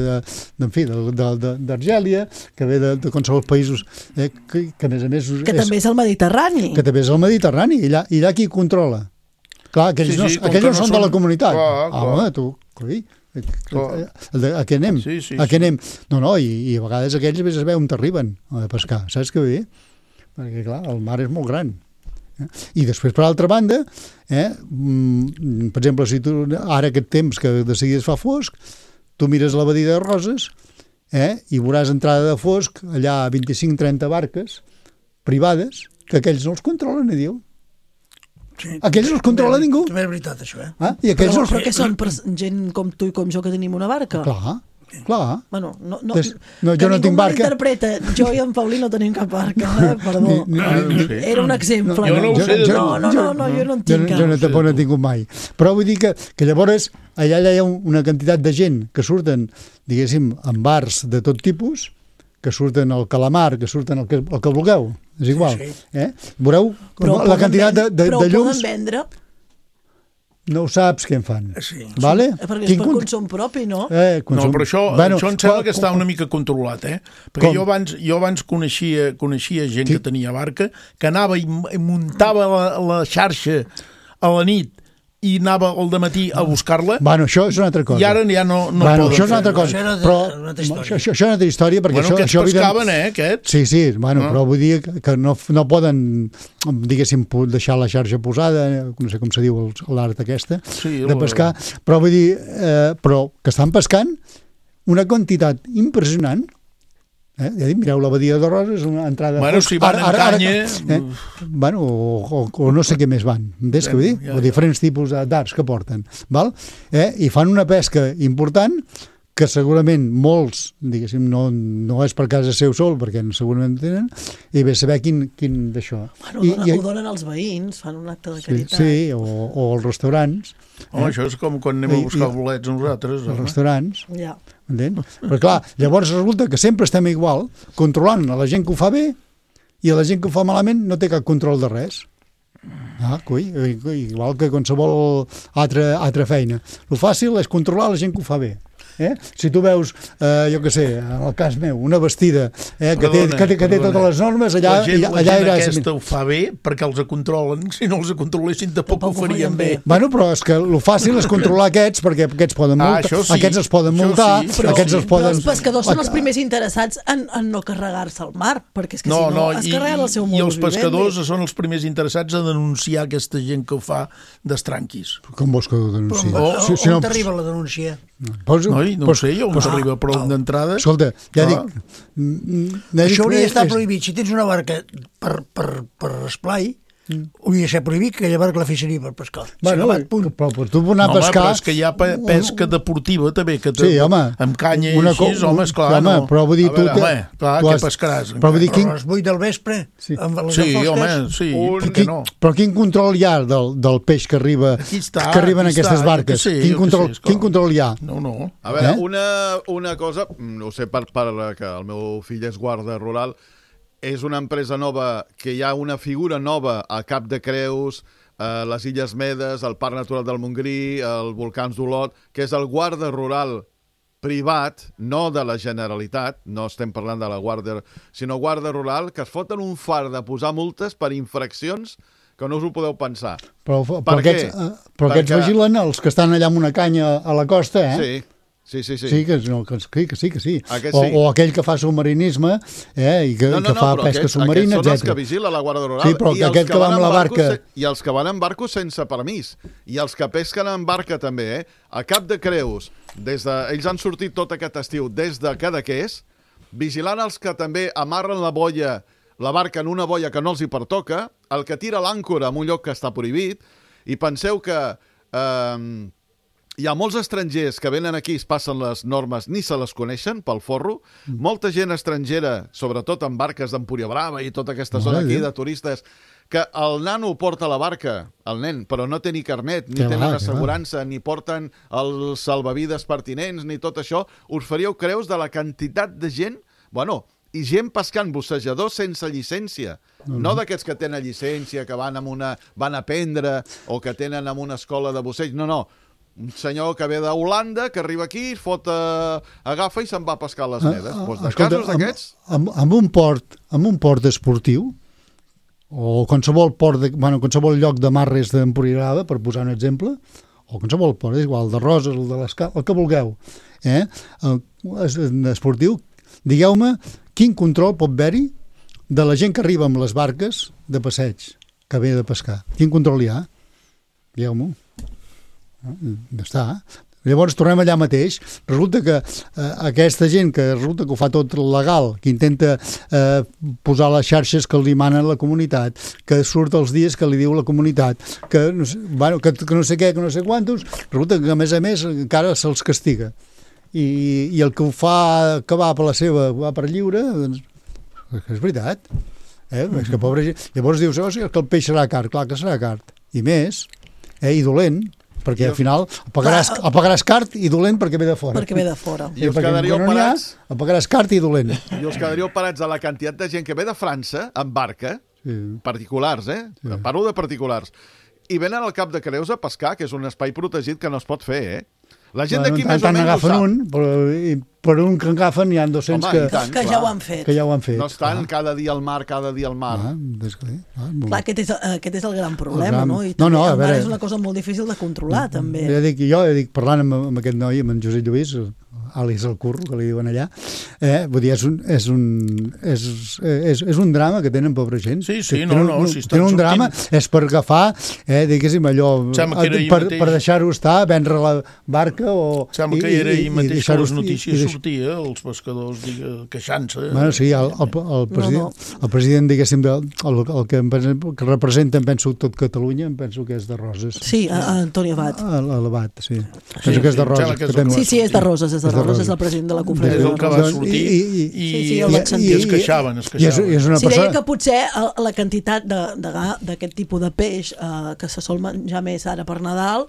D: d'Argèlia, que ve de qualsevol països que a més...
C: Que també és el Mediterrani.
D: Que també és el Mediterrani, i allà qui controla. Clar, aquells no són de la comunitat. Home, tu, a què anem? A què anem? No, i a vegades aquells es veu on t'arriben a pescar, saps què vull dir? Perquè, clar, el mar és molt gran. I després, per altra banda, per exemple, si tu ara aquest temps que de seguida es fa fosc, tu mires la badia de Roses i veuràs entrada de fosc allà 25-30 barques privades que aquells no els controla ningú. Aquells no els controla ningú.
F: També és veritat, això,
C: Però què són? Per gent com tu i com jo que tenim una barca?
D: Clar.
C: Bueno,
D: jo no tinc barca.
C: Interpreta, jo i en Paulí no tenim cap barca, perdó. Era un exemple.
E: Jo no ho sé.
C: No, jo no en tinc cap.
D: Jo no he tingut mai. Però vull dir que llavors allà hi ha una quantitat de gent que surten, diguéssim, en bars de tot tipus, que surten al calamar, que surten el que vulgueu, és igual. Veureu la quantitat de llums...
C: Però poden vendre...
D: No ho saps què en fan.
C: Vale? Perquè és per consum propi, no?
E: No, però això em sembla que està una mica controlat, Perquè jo abans coneixia gent que tenia barca, que anava i muntava la xarxa a la nit i anava al dematí a buscar-la.
D: Bueno, això és una altra cosa.
E: I ara ja no poden
D: això és una altra cosa. Però això és una altra història, perquè
E: això... Aquests pescaven, aquests?
D: Sí, però vull dir que no poden, diguéssim, deixar la xarxa posada, no sé com se diu l'art aquesta, de pescar, però vull dir, però que estan pescant una quantitat impressionant. Ja dic, mireu, la badia de Roses és una entrada...
E: Bueno, si van en canya...
D: Bueno, o no sé què més van, entens què vull dir? O diferents tipus d'arts que porten, val? I fan una pesca important que segurament molts, diguéssim, no és per casa seu sol, perquè segurament tenen, i ve saber quin d'això.
C: Bueno, ho donen als veïns, fan un acte de caritat.
D: Sí, o als restaurants.
E: Això és com quan anem a buscar bolets nosaltres.
D: Els restaurants.
C: Ja.
D: Entens? Però clar, llavors resulta que sempre estem igual, controlant a la gent que ho fa bé i a la gent que ho fa malament no té cap control de res. Igual que qualsevol altra feina. El fàcil és controlar la gent que ho fa bé. Si tu veus, jo què sé, en el cas meu, una vestida que té totes les normes, allà
E: la gent aquesta ho fa bé perquè els controlen. Si no els controlessin tampoc ho farien bé.
D: Bueno, però és que el fàcil és controlar aquests, perquè aquests poden multar, aquests es poden multar, aquests es poden...
C: Els pescadors són els primers interessats en no carregar-se al mar, perquè és que si no es carreguen el seu modus
E: vivendi. I els pescadors són els primers interessats a denunciar aquesta gent que ho fa d'estranquis.
D: Com vols que ho denunciï?
F: On t'arriba la denúncia?
E: No ho sé jo, on s'arriba, però d'entrada...
D: Escolta, ja dic...
F: Això hauria d'estar prohibit. Si tens una barca per esplai, hauria de ser prohibit que aquella barca la fessin per pescar.
D: Bueno, però tu anar a pescar...
E: Però és que hi ha pesca deportiva també, que amb canya i així, home, esclar, no.
D: Però vull dir, tu...
E: Clar, què pescaràs?
F: Però a les 8 del vespre?
E: Sí, home, sí.
D: Però quin control hi ha del peix que arriba en aquestes barques? Quin control hi ha?
E: No.
G: A veure, una cosa, no sé, que el meu fill és guarda rural, és una empresa nova, que hi ha una figura nova a Cap de Creus, les Illes Medes, el Parc Natural del Montgrí, el Volcans d'Olot, que és el guarda rural privat, no de la Generalitat, no estem parlant de la guàrdia, sinó guarda rural, que es foten un far de posar multes per infraccions que no us ho podeu pensar.
D: Però aquests vigilen els que estan allà amb una canya a la costa,
G: Sí. Sí.
D: Sí, que sí. O aquell que fa submarinisme i que fa pesca submarina, etc.
G: Aquests són els que vigila la Guàrdia Rural.
D: Sí, però aquest que va amb la barca...
G: I els que van en barcos sense permís. I els que pesquen en barca també, A Cap de Creus, ells han sortit tot aquest estiu des de Cadaqués, vigilant els que també amarren la barca en una boia que no els hi pertoca, el que tira l'àncora en un lloc que està prohibit, i penseu que... hi ha molts estrangers que venen aquí, es passen les normes, ni se les coneixen pel forro. Molta gent estrangera, sobretot en barques d'Empúria Brava i tota aquesta zona aquí de turistes, que el nano porta la barca, el nen, però no té ni carnet, ni tenen assegurança, ni porten els salvavides pertinents, ni tot això. Us faríeu creus de la quantitat de gent, i gent pescant bussejadors sense llicència. No d'aquests que tenen llicència, que van a aprendre o que tenen en una escola de busseig. No. Un senyor que ve d'Holanda, que arriba aquí, agafa i se'n va a pescar les medes. De casos d'aquests...
D: Amb un port esportiu, o qualsevol qualsevol lloc de marres d'Empuriarada, per posar un exemple, o qualsevol port, és igual, de Roses, el que vulgueu, esportiu, digueu-me quin control pot haver-hi de la gent que arriba amb les barques de passeig, que ve de pescar. Quin control hi ha? Digueu-m'ho. Ja està. Llavors tornem allà mateix. Resulta que aquesta gent que resulta que ho fa tot legal, que intenta posar les xarxes que li manen la comunitat, que surt els dies que li diu la comunitat, que no sé què, que no sé quantos, resulta que a més encara se'ls castiga. I el que ho fa que va per lliure, doncs, és veritat. És que pobre gent. Llavors dius que el peix serà car, clar que serà car. I més, i dolent, perquè al final el pagaràs car i dolent perquè ve de fora.
C: Perquè ve de fora.
G: I us quedaríeu parats...
D: El pagaràs car i dolent.
G: I us quedaríeu parats a la quantitat de gent que ve de França en barca, particulars, parlo de particulars, i venen al Cap de Creus a pescar, que és un espai protegit que no es pot fer, La gent d'aquí més o menys ho sap.
D: Per un que agafen hi ha 200
C: que ja ho han fet.
G: No estan cada dia al mar.
C: Clar, aquest és el gran problema, no? I també el mar és una cosa molt difícil de controlar, també.
D: Jo dic, parlant amb aquest noi, amb en Josep Lluís, Àlex el Curro, que li diuen allà, vull dir, és un drama que tenen, pobra gent.
E: Sí,
D: tenen un drama, és per agafar, diguéssim, allò, per deixar-ho estar, vendre la barca o...
E: Sembla que era ahir mateix que les notícies sortia, els pescadors queixant-se.
D: Bueno, sí, el president, diguéssim, el que representa, penso, tot Catalunya, penso que és de Roses.
C: Sí, Antoni Abat.
D: L'Abat, sí. Penso que és de Roses.
C: Sí, és de Roses, és de Roses, és el president de la conferència.
E: És el que va sortir i es queixaven.
C: Si deia que potser la quantitat d'aquest tipus de peix que se sol menjar més ara per Nadal,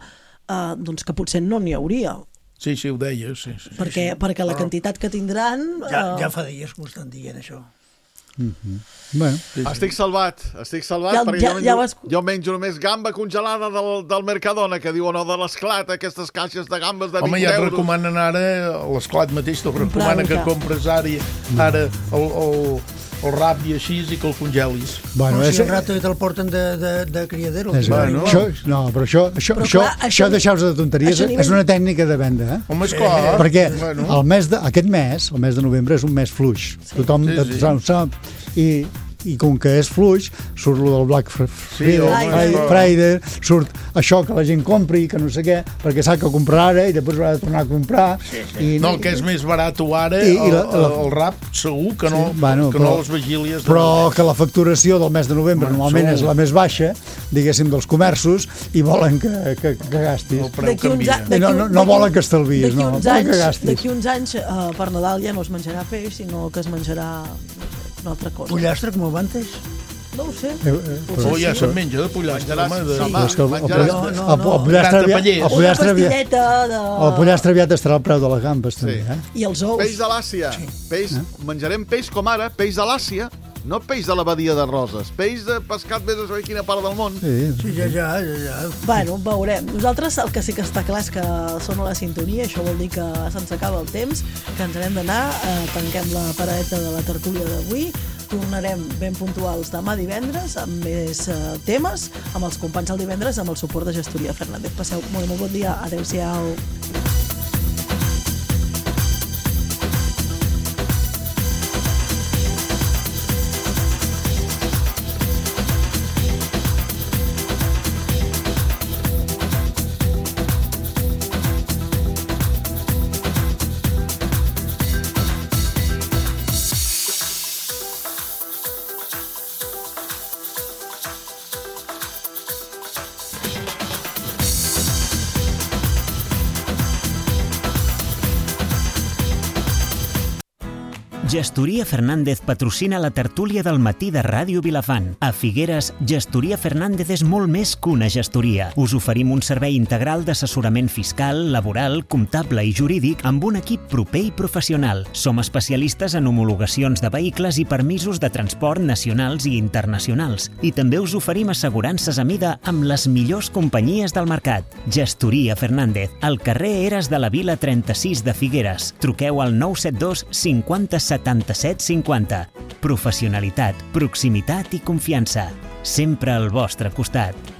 C: doncs que potser no n'hi hauria.
E: Sí, ho deia, sí.
C: Perquè la quantitat que tindran...
F: Ja fa dies que ho estan dient, això.
D: Bueno.
G: Estic salvat perquè jo menjo només gamba congelada del Mercadona, que diuen de l'Esclat, aquestes caixes de gambes de 20 euros.
E: Home, ja et recomanen ara, l'Esclat mateix te'l recomana que compres ara el rap i així i que el congelis.
F: Si el rato te'l porten de criadero.
D: No, però això deixar-vos de tonteries és una tècnica de venda.
E: Home, esclar.
D: Perquè aquest mes, el mes de novembre, és un mes fluix. Tothom sap. I com que és fluix, surt lo del Black Friday, surt això que la gent compri, que no sé què, perquè sap que comprarà ara i després haurà de tornar a comprar.
E: No, el que és més barat ara, el rap, segur que no les vigílies.
D: Però que la facturació del mes de novembre normalment és la més baixa, diguéssim, dels comerços, i volen que gastis. No volen que estalvies, no, volen que gastis.
C: D'aquí uns anys, per Nadal ja no es menjarà peix, sinó que es menjarà una altra cosa.
F: Pollastre, com abans?
C: No ho sé.
E: Ja se'n menja de pollastre.
D: El pollastre aviat estarà al preu de les gambes, també.
C: I els ous.
G: Peix de l'Àsia. Menjarem peix com ara, peix de l'Àsia. No peix de la badia de Roses, peix de pescat vés a saber quina part del món.
F: Sí, ja.
C: Bueno, veurem. Nosaltres el que sí que està clar és que sona la sintonia, això vol dir que se'ns acaba el temps, que ens n'hem d'anar, tanquem la paradeta de la tertúlia d'avui, tornarem ben puntuals demà divendres amb més temes, amb els companys del divendres, amb el suport de Gestoria Fernández. Passeu molt bon dia. Adéu-siau.
B: Gestoria Fernández patrocina la tertúlia del matí de Ràdio Vilafant. A Figueres, Gestoria Fernández és molt més que una gestoria. Us oferim un servei integral d'assessorament fiscal, laboral, comptable i jurídic amb un equip proper i professional. Som especialistes en homologacions de vehicles i permisos de transport nacionals i internacionals. I també us oferim assegurances a mida amb les millors companyies del mercat. Gestoria Fernández, al carrer Eres de la Vila 36 de Figueres. Truqueu al 972 50 77 50. Professionalitat, proximitat i confiança. Sempre al vostre costat.